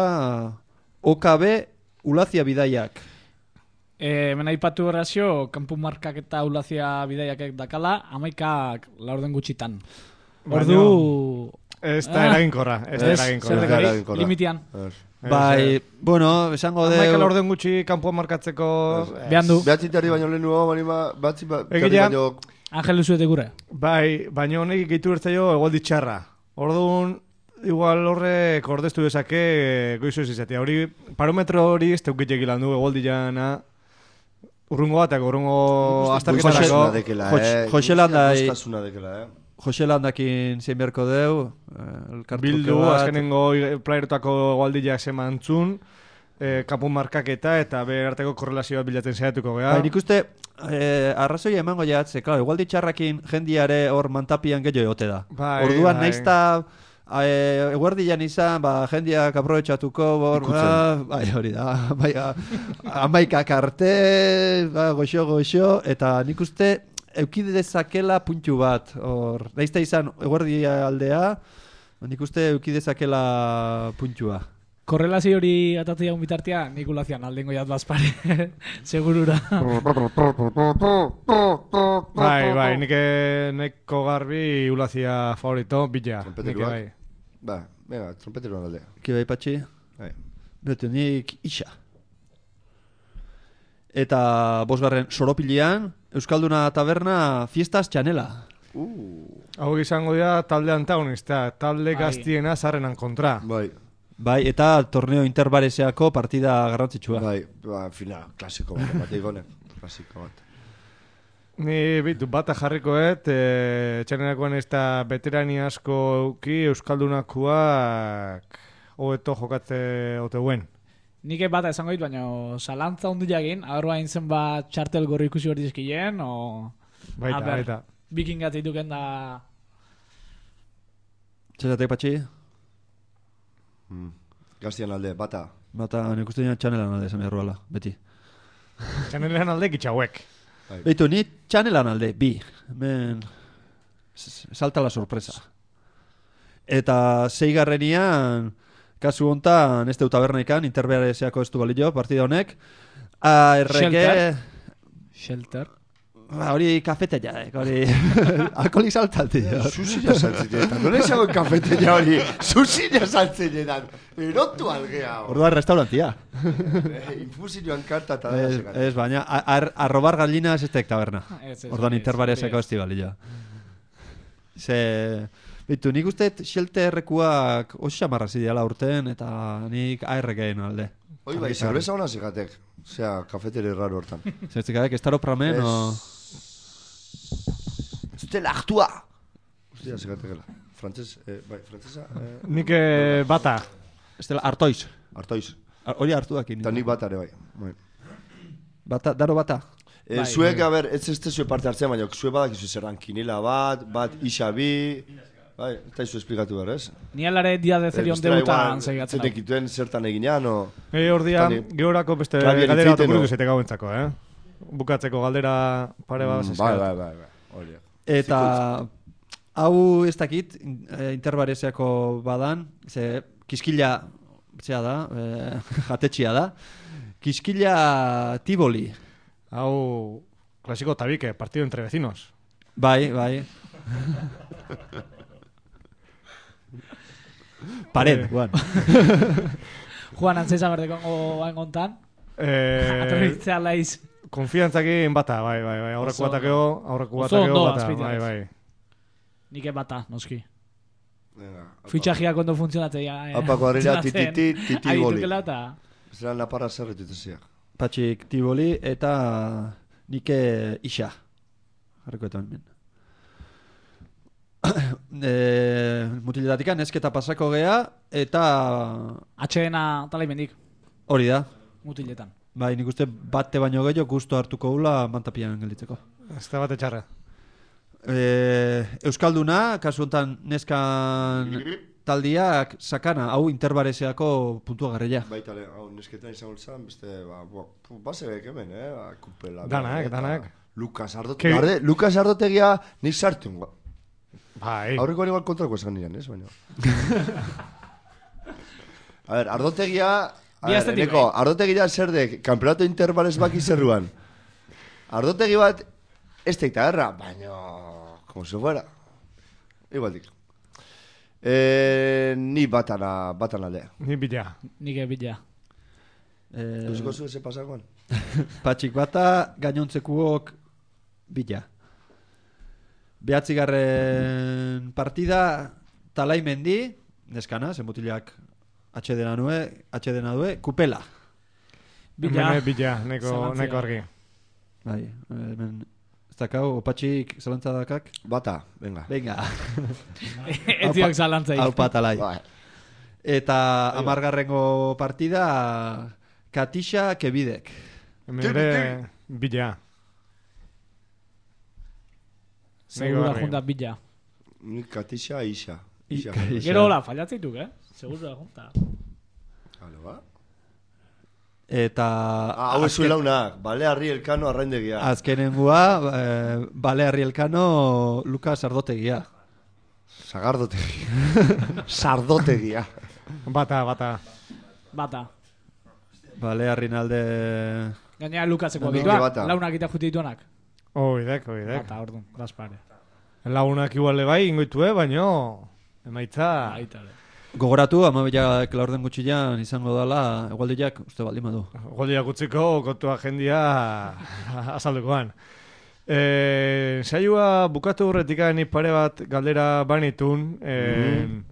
O K B Ulazia bidaiak. E, hemen aipatu errazio, kanpu markak eta Ulazia bidaiak dakala, amaikak laurden gutxitan. Ordu... Ez da eraginkorra, ez da eraginkorra. Zer dekari, limitian. Bai, bueno, esango de... Amaika laurden gutxi kanpoa markatzeko... Behan du. Behatzi terri baino lehen nuo, banima, behatzi terri Egia- baino... Angelu zuete gure. Bai, baina honek gehitu bertzaio egoldi txarra. Orduan, igual horrek ordeztu bezake goizu ez izatea. Hori, parometro hori ez teukitek ilan du egoldi jana... Urrungo batak, urrungo astarketarako... Guztasuna dekela, eh? Joselanda... Guztasuna dekela, eh? Joselandakin zein beharko deu, elkartruke Bildu, bat. azkenengo playerotako egualdiak semantzun, eh, kapu markaketa eta berarteko korrelazioa bilatzen zehatuko geha. Bai, nik uste, eh, arrazoia emango jatze, claro, igual ditxarrakin jendiare hor mantapian gehiago egote da. Bai, Orduan bai. naizta eh, eguerdian izan, ba, jendiak aprobetxatuko, bor, ba, bai, hori da, bai, amaikak arte, ba, goxo, goxo, eta nik uste, eukide dezakela puntu bat, hor, naizta izan eguerdi aldea, nik uste eukide dezakela puntua. Korrelazio hori atatzea un bitartia, nik ulazian aldengo jat bazpare, segurura. Bai, bai, nik neko garbi ulazia favorito, bila. Nik Trompeteroak. bai. Ba, venga, trompeteroan alde. Ki bai patxi? Bai. Beto, nik isa. Eta bosgarren soropilian, Euskalduna taberna fiestas txanela. Uh. Hau izango dira talde antagonista, talde Bai. gaztiena zarrenan kontra. Bai. Bai, eta torneo interbareseako partida garrantzitsua. Bai, ba, final, klasiko bat, bat egonen. Klasiko bat. Ni bitu bata jarrikoet, e, txanerakoan ez da veterani asko euki Euskaldunakoak hobeto jokatze oteuen. Nik bata esango dit, baina salantza ondu jagin, agarroa intzen bat txartel gorri ikusi hori dizkien, o... Baita, Aber, baita. Vikingat dituken da... Txasatek patxi? Hmm. Gaztian alde, bata. Bata, nik uste dina txanelan alde esan erruala, beti. Txanelean alde kitxauek. Bai. Beitu, ni txanelan alde, bi. Men... s- Salta la sorpresa. Eta zeigarrenian... Kasu hontan, ez deu tabernaikan, interbeareseako ez du balio, partida honek. A R G... Shelter. Shelter. Ba, hori kafeteak, hori... Alkoholik saltalti. Susila saltzinetan, nola esago kafeteia hori, susila saltzinetan, erotu algea. Orduan restaurantia. Infusioan karta eta Ez, da ez, baina, a- ar, arrobar galinas ez tek taberna. Ez, ez, Orduan hori ez, interbareseako hori ez du balio. Ze... Bitu, nik uste Shelterrekuak oso xamarra zideala urten, eta nik A R G-en alde. Hoi bai, zerbeza hona zigatek. Osea, kafeteri raro hortan. Zertzikadek, ez taro pramen, o... Zutela aktua! Ustia, zigatekela. Frantzes, eh, bai, frantzesa... Eh, Nik eh, bata. Ez dela, hartoiz. Artoiz. Ar- Hori hartu dakin. Eta nik bata ere bai. bai. Bata, daro bata. E, zuek, a ber, ez ez zue parte hartzen, baina zue badak izu zerran kinila bat, bat isa bi... bai, eta izu esplikatu behar, ez? Ni alare dia de zerion debutan segiatzen. Zetek ituen zertan eginean, o... E, hor dia, georako beste galdera bat okurritu zete gauentzako, eh? Bukatzeko galdera pare bat mm, bai, bai, bai, bai. Eta hau ez dakit, interbareziako badan, ze kiskila, zea da, e, jatetxia da, kiskila Tivoli. Hau, klasiko tabike, partido entre vecinos. Bai, bai. Pared, Juan. Juan, antzesa berdeko hain gontan. Eh, Atorritzea laiz. Konfiantzakin bata, bai, bai, bai. Aurreku batakeo, aurreku batakeo bata, bai, bai. Nik bata, noski. Fitxajiak ondo funtzionatzea. Apako harrera tititi, titiboli. Aitukela eta... Zeran naparra zerretu itziak. Patxik Tivoli eta nike isa. Jarriko eta hemen. e, mutiletatika nesketa pasako gea eta atxedena talaimendik hori da mutiletan. Bai, nik uste bate baino gehiago gusto hartuko gula mantapian gelditzeko. Ez da bate txarra. E, Euskalduna, kasu honetan neskan taldiak sakana, hau interbarezeako puntua garrila. Baita, hau nesketan izan ultzan, beste, ba, basebek hemen, eh? Ba, kupela. Danak, danak. Lukas Ardotegia, Lukas Ardotegia nik sartu. Bai. Aurreko igual kontrako esan nian, ez, baina. A ver, Ardotegia... A ver, Eneko, Ardotegia zer dek, kampeonato interbalez baki zerruan. Ardotegi bat, ez teikta erra, baina... Como se fuera. Igual dik. Eh, ni batana, batana aldea. Ni bila. Nike bila. Eh, Eusko zu eze pasakoan? Patxik bata, gainontzekuok bila. Behatzigarren partida, talaimendi, neskana, zenbotilak atxedena nue, atxedena due, kupela. Bila. Hemen bila, neko, neko argi. Bai, hemen, ez dakau, opatxik zalantzadakak? Bata, venga. Venga. Ez diok zalantzaik. Hau patalai. Eta amargarrengo partida, Katixa Kebidek. Hemen ere, bila. Segura junta bila. Ni Katixa Isa. Gero hola, fallatzeituk, eh? Segura junta. Halo, ba? Eta... Ah, hau ezu launak, Balearri Elkano arraindegia. Azkenengua, eh, Balearri Elkano Lukas Sardotegia. Sagardotegia. Sardotegia. Bata, bata. Bata. Balearrin alde... Gainera Lukaseko abituak, launak eta jute dituanak. Oidek, oidek. Bata, orduan, gaspare. Launak igual bai, ingoitue, baino... Emaitza... Aitale. Gogoratu, amabilak laurden gutxilean izango dela, egualdiak, uste baldin badu. Egualdiak utziko, kontua jendia azaldukoan. E, saioa bukatu horretik ni pare bat galdera banitun. E, mm.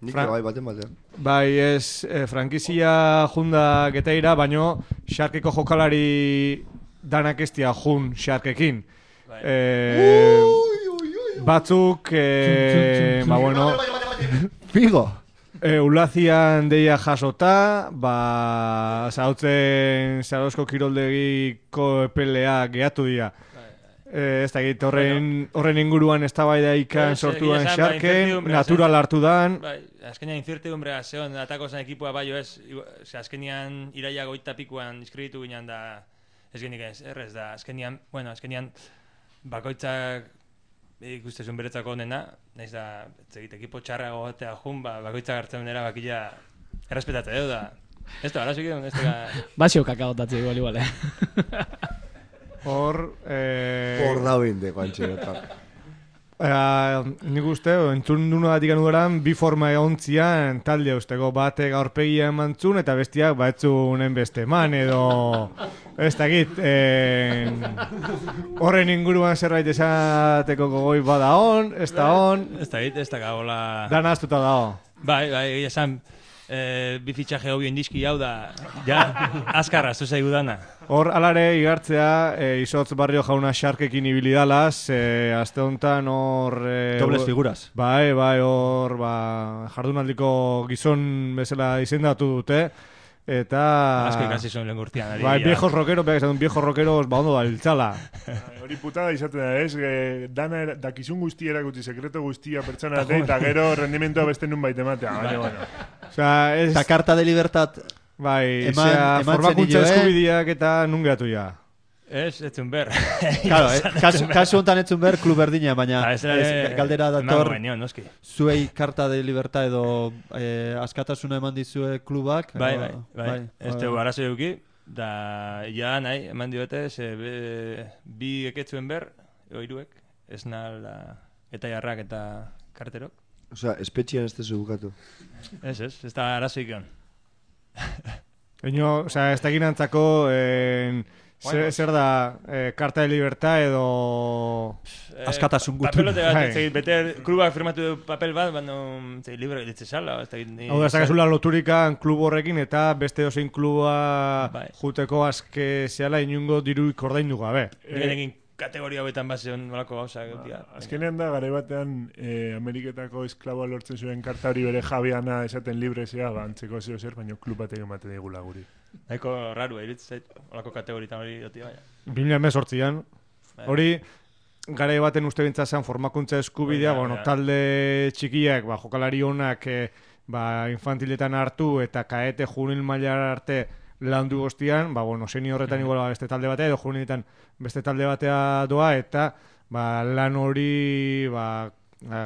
Nik bai baten batean. Bai, ez, e, frankizia junda getaira, baino xarkeko jokalari danak estia jun xarkekin. E, batzuk, e, ba bueno... Figo! E, ulazian deia jasota, ba, zautzen Zarauzko kiroldegiko epelea gehatu dira. E, ez da egit, horren, horren inguruan eztabaida ikan sortuan xarken, natural hartu dan. Bai, azkenean incertidumbrea zeon, atako zen ekipoa baio ez, azkenean iraia goita pikuan inskreditu ginen da, ez genik ez, errez da, azkenean, bueno, azkenean bakoitzak ikustezun beretzako onena, nahiz da, zegit, ekipo txarra gogotea jun, ba, bakoitzak hartzen nera bakila errespetatzea edo da. Ez da, ara zukidun, ez da... Basio kakagotatzea igual, igual, eh? Hor... Eh... Hor da binde, guantxe, eta... Uh, nik uste, entzun duna datik anudaran, bi forma egontzian talde usteko, batek aurpegia emantzun eta bestiak batzunen beste eman edo ez dakit eh, horren inguruan zerbait esateko gogoi bada on, ez da on ez dakit, ez da gagola dan aztuta dago bai, bai, esan eh, bi fitxaje hobio indizki hau da ja, azkarra, zuzaigu dana hor alare igartzea e, Izotz Barrio jauna xarkekin ibilidalaz e, azte honetan hor e, dobles figuras bai, bai, hor ba, jardunaldiko gizon bezala izendatu dute Eta... Asko ikasi zuen lehen urtean. Bai, viejos rockeros, behar izan viejos rockeros, ba ondo da, iltzala. Hori putada izaten da, ez? E, dana, dakizun guztia erakutsi, sekreto guztia pertsona ate, eta gero rendimentoa beste nun baita ematea. Baina, bueno. Osea, ez... Eta karta de libertad... Bai, eman, zera, formakuntza eh? eskubideak eta nun geratu ja. Ez, etzun ber. Claro, eh, kasu, kasu honetan etzun ber klub berdina, baina ez, ez, galdera dator benion, noski. zuei karta de libertad edo eh, askatasuna eman dizue klubak. Bai, edo, bai, bai. bai. Ez tegu arazo eduki, da ja nahi, eman diote, ze be, bi eketzuen ber, oiruek, ez nala, eta jarrak eta karterok. Osea, espetxian ez tezu bukatu. Ez, ez, ez da arazo ikion. Eño, osea, ez da ginantzako... Eh, Zer, zer da, eh, karta de libertad edo... Eh, askatasun gutu. Papelote bat, ez bete, klubak firmatu du papel bat, baina, zei, libre ditze sala, ez da... Hau da, zakazula loturikan klub horrekin eta beste osein kluba bai. Juteko azke zehala inungo diruik ordaindu gabe. Direnekin kategoria hauetan bazion nolako gauza. Ba, azkenean da, gara batean, eh, Ameriketako esklaboa lortzen zuen karta hori bere jabiana esaten librezea, ba, antzeko zeo zer, baina klub batek ematen digula guri. Nahiko raru, eritz zait, olako kategoritan hori doti baina. bi mila hemezortzian, hori gara baten uste bintzazan formakuntza eskubidea, bueno, talde txikiak, ba, jokalari honak, e, ba, infantiletan hartu eta kaete juvenil mailar arte landu goztian, ba, bueno, seniorretan igual beste talde batea, edo juveniletan beste talde batea doa, eta ba, lan hori, ba,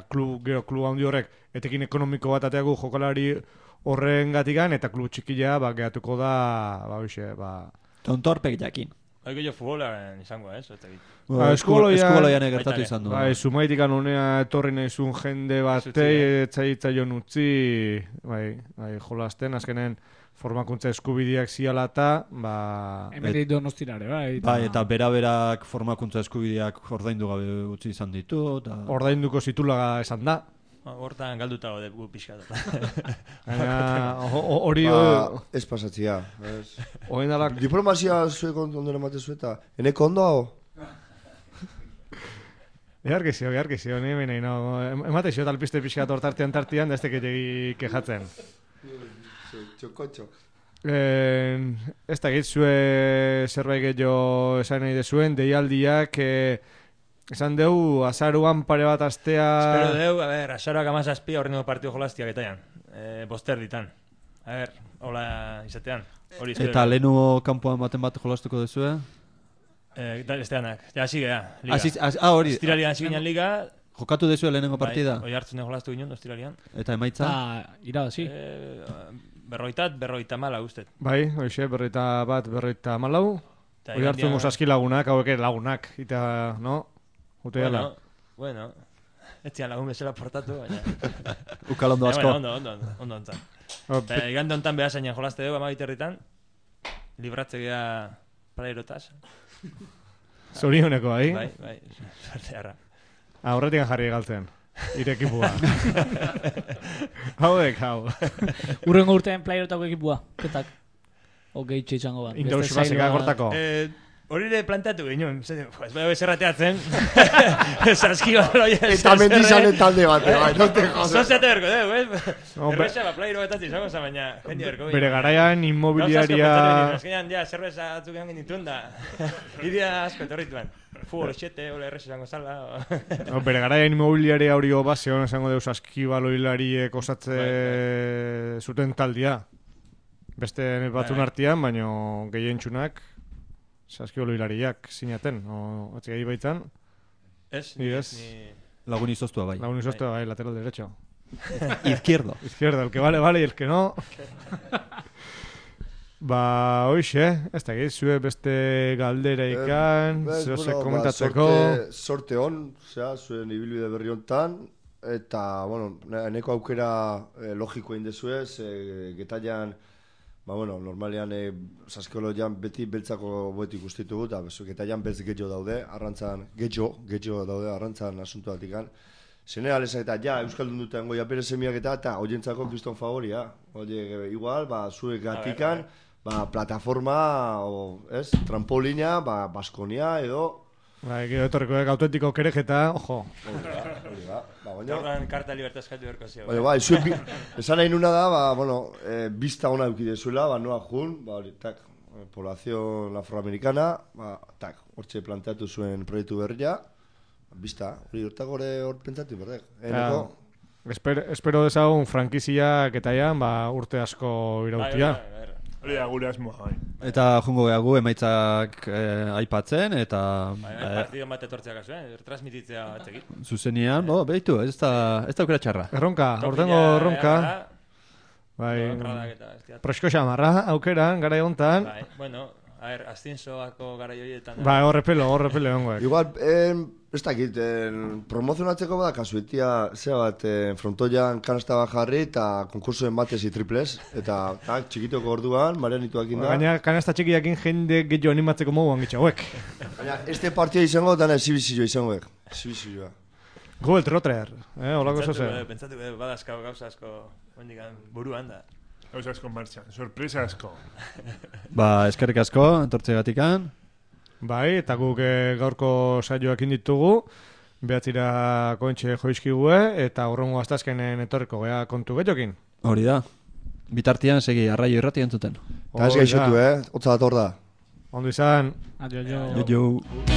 klub, gero klub handi horrek, etekin ekonomiko bat ateagu jokalari horren gatikan, eta klub txikila, ba, gehatuko da, ba, hoxe, ba... Tontorpek jakin. Haiko jo futbolaren izango, ez? Ba, eskuboloian egertatu izan du. Ba, sumaitikan unea etorri nahizun jende batei, etzaitza jo nutzi, bai, bai, jolasten, azkenen formakuntza eskubideak ziala eta, ba... Hemetik donostirare, bai. Bai, eta bera-berak formakuntza eskubideak ordaindu gabe utzi izan ditu, eta... Ordainduko zitula esan da. Hortan galduta gode gu pixka. Hori... Ez pasatzia. Oen dala... Diplomazia zuek ondo emate zueta. Eneko ondo hau? Egarkizio, egarkizio, ni benei, no. Emate xio talpiste pixka tortartean tartian, da ez teketegi kejatzen. Txokotxo. Ez da gitzue zerbait gehiago esan nahi dezuen, deialdiak... Esan deu, azaruan pare bat astea... Espero deu, a ver, azaruak amazazpi horrengo partio jolaztiak etaian. Eh, boster ditan. A ver, hola izatean. Hori eta lehenu kanpoan baten bat jolastuko dezue? Eh, esteanak. Ja, hasi gea, liga. Asi, as, ah, hori. Ostiralian hasi ginen liga. Jokatu dezue lehenengo partida? Bai, oi hartzen jolastu ginen, ostiralian. Eta emaitza? Ah, irabazi. Eh, berroitat, berroita mala guztet. Bai, hoxe, berroita bat, berroita malau. Oi hartzen musaski lagunak, hauek lagunak. Eta, no? Bueno, bueno, etzian lagun bezala portatu, baina... Ukal ondo asko. Ondo, ondo, ondo, ondo ontzan. Eta igande ontan behar zainan jolazte dugu, amabiterritan, libratze gea praerotaz. Zorioneko, bai? Bai, bai, suerte harra. Aurretik jarri galtzen, irekipua. Hauek, hau. Urrengo urtean praerotako ekipua, ketak. Ogei txitxango bat. Indausi basika kortako. Eh... Hori ere planteatu ginen, ez bai bezerrateatzen, saskio loia... Eta mendizanen talde bate, bai, no te jodas. Soziate berko dugu, ez? Erresa, ba, plairo betatzi izango za, baina jendi berko. Bere garaian inmobiliaria... Azkenean, ja, zerbeza atzuk egin genituen da, idea asko etorrituan. Fugol etxete, hola erresa izango zala... Bere garaian inmobiliaria hori base hona izango dugu saskiba loilariek osatze zuten taldia. Beste batzun artian, baina gehientxunak... Saskio loilariak sinaten, o atzegei baitzan. Ez, ni ez. Lagun izoztua bai. Lagun izoztua bai, lateral derecho. Izquierdo. Izquierdo, el que vale, vale, y el que no. Ba, hoxe, ez da giz, zue beste galdera ikan, zehose komentatzeko. Sorte hon, zera, zuen ibilbide berri hontan, eta, bueno, neko aukera logikoa indezuez, getaian... Ba, bueno, normalean e, saskiologian beti beltzako boetik ustitugu, eta getaian beltz getxo daude, arrantzan, getxo, getxo daude, arrantzan asuntu batikan. Zene alezak eta, ja, Euskaldun duten goia pere semiak eta, eta oientzako kriston favoria. Oie, igual, ba, zuek gatikan, ba, plataforma, o, ez, trampolina, ba, Baskonia, edo... Ba, gero etorriko autentiko kerejeta, ojo. Hori ba, hori ba, ba, Gaurran karta libertad eskatu berko zio. Baina, bai, zuen, esan nahi nuna da, ba, bueno, e, bizta hona eukidezuela, ba, noa jun, ba, hori, tak, poblazion afroamerikana, ba, tak, hortxe planteatu zuen proiektu berria, bizta, hori hortak hori hor pentsatu berdek. Eneko... Esper, espero dezagun frankiziak eta ean, ba, urte asko irautia. Hori da gure asmoa, bai. Eta jungo gehagu emaitzak eh, aipatzen, eta... Bai, eh, partido bat etortzeak azu, eh? Transmititzea batzekit. Zuzenian, bo, behitu, ez da, ez da aukera txarra. Erronka, ortengo erronka. Bai, prosko xamarra, aukeran, gara egontan. Bai, bueno, a ver, astinsoako gara joietan. Bai, horrepelo, horrepelo egongoek. Igual, eh, ez dakit, eh, promozionatzeko bada kasuetia, zera bat, eh, frontoian kanasta bat jarri eta konkursoen batez i triples, eta tak, txikitoko orduan, marianituak inda. Baina kanasta txikiakin jende gehiago animatzeko moguan gitxauek. Baina, este partida izango, dana exhibizioa izangoek. Exhibizioa. Gu el trotrer, eh, holako zoze. Pentsatu, eh, badazkau gauza asko, hondikan, buruan da. Gauza asko martxan, sorpresa asko. Ba, eskerrik asko, entortze gatikan. Bai, eta guk e, gaurko saioak inditugu, behatzira kontxe joizkigue, eta urrongo astazkenen etorriko gea kontu getxokin. Hori da. Bitartian segi arraio irrati entzuten. Eta ez gaixotu, eh? Otza dator da. Ondo izan. Adio, jo. Jo, jo.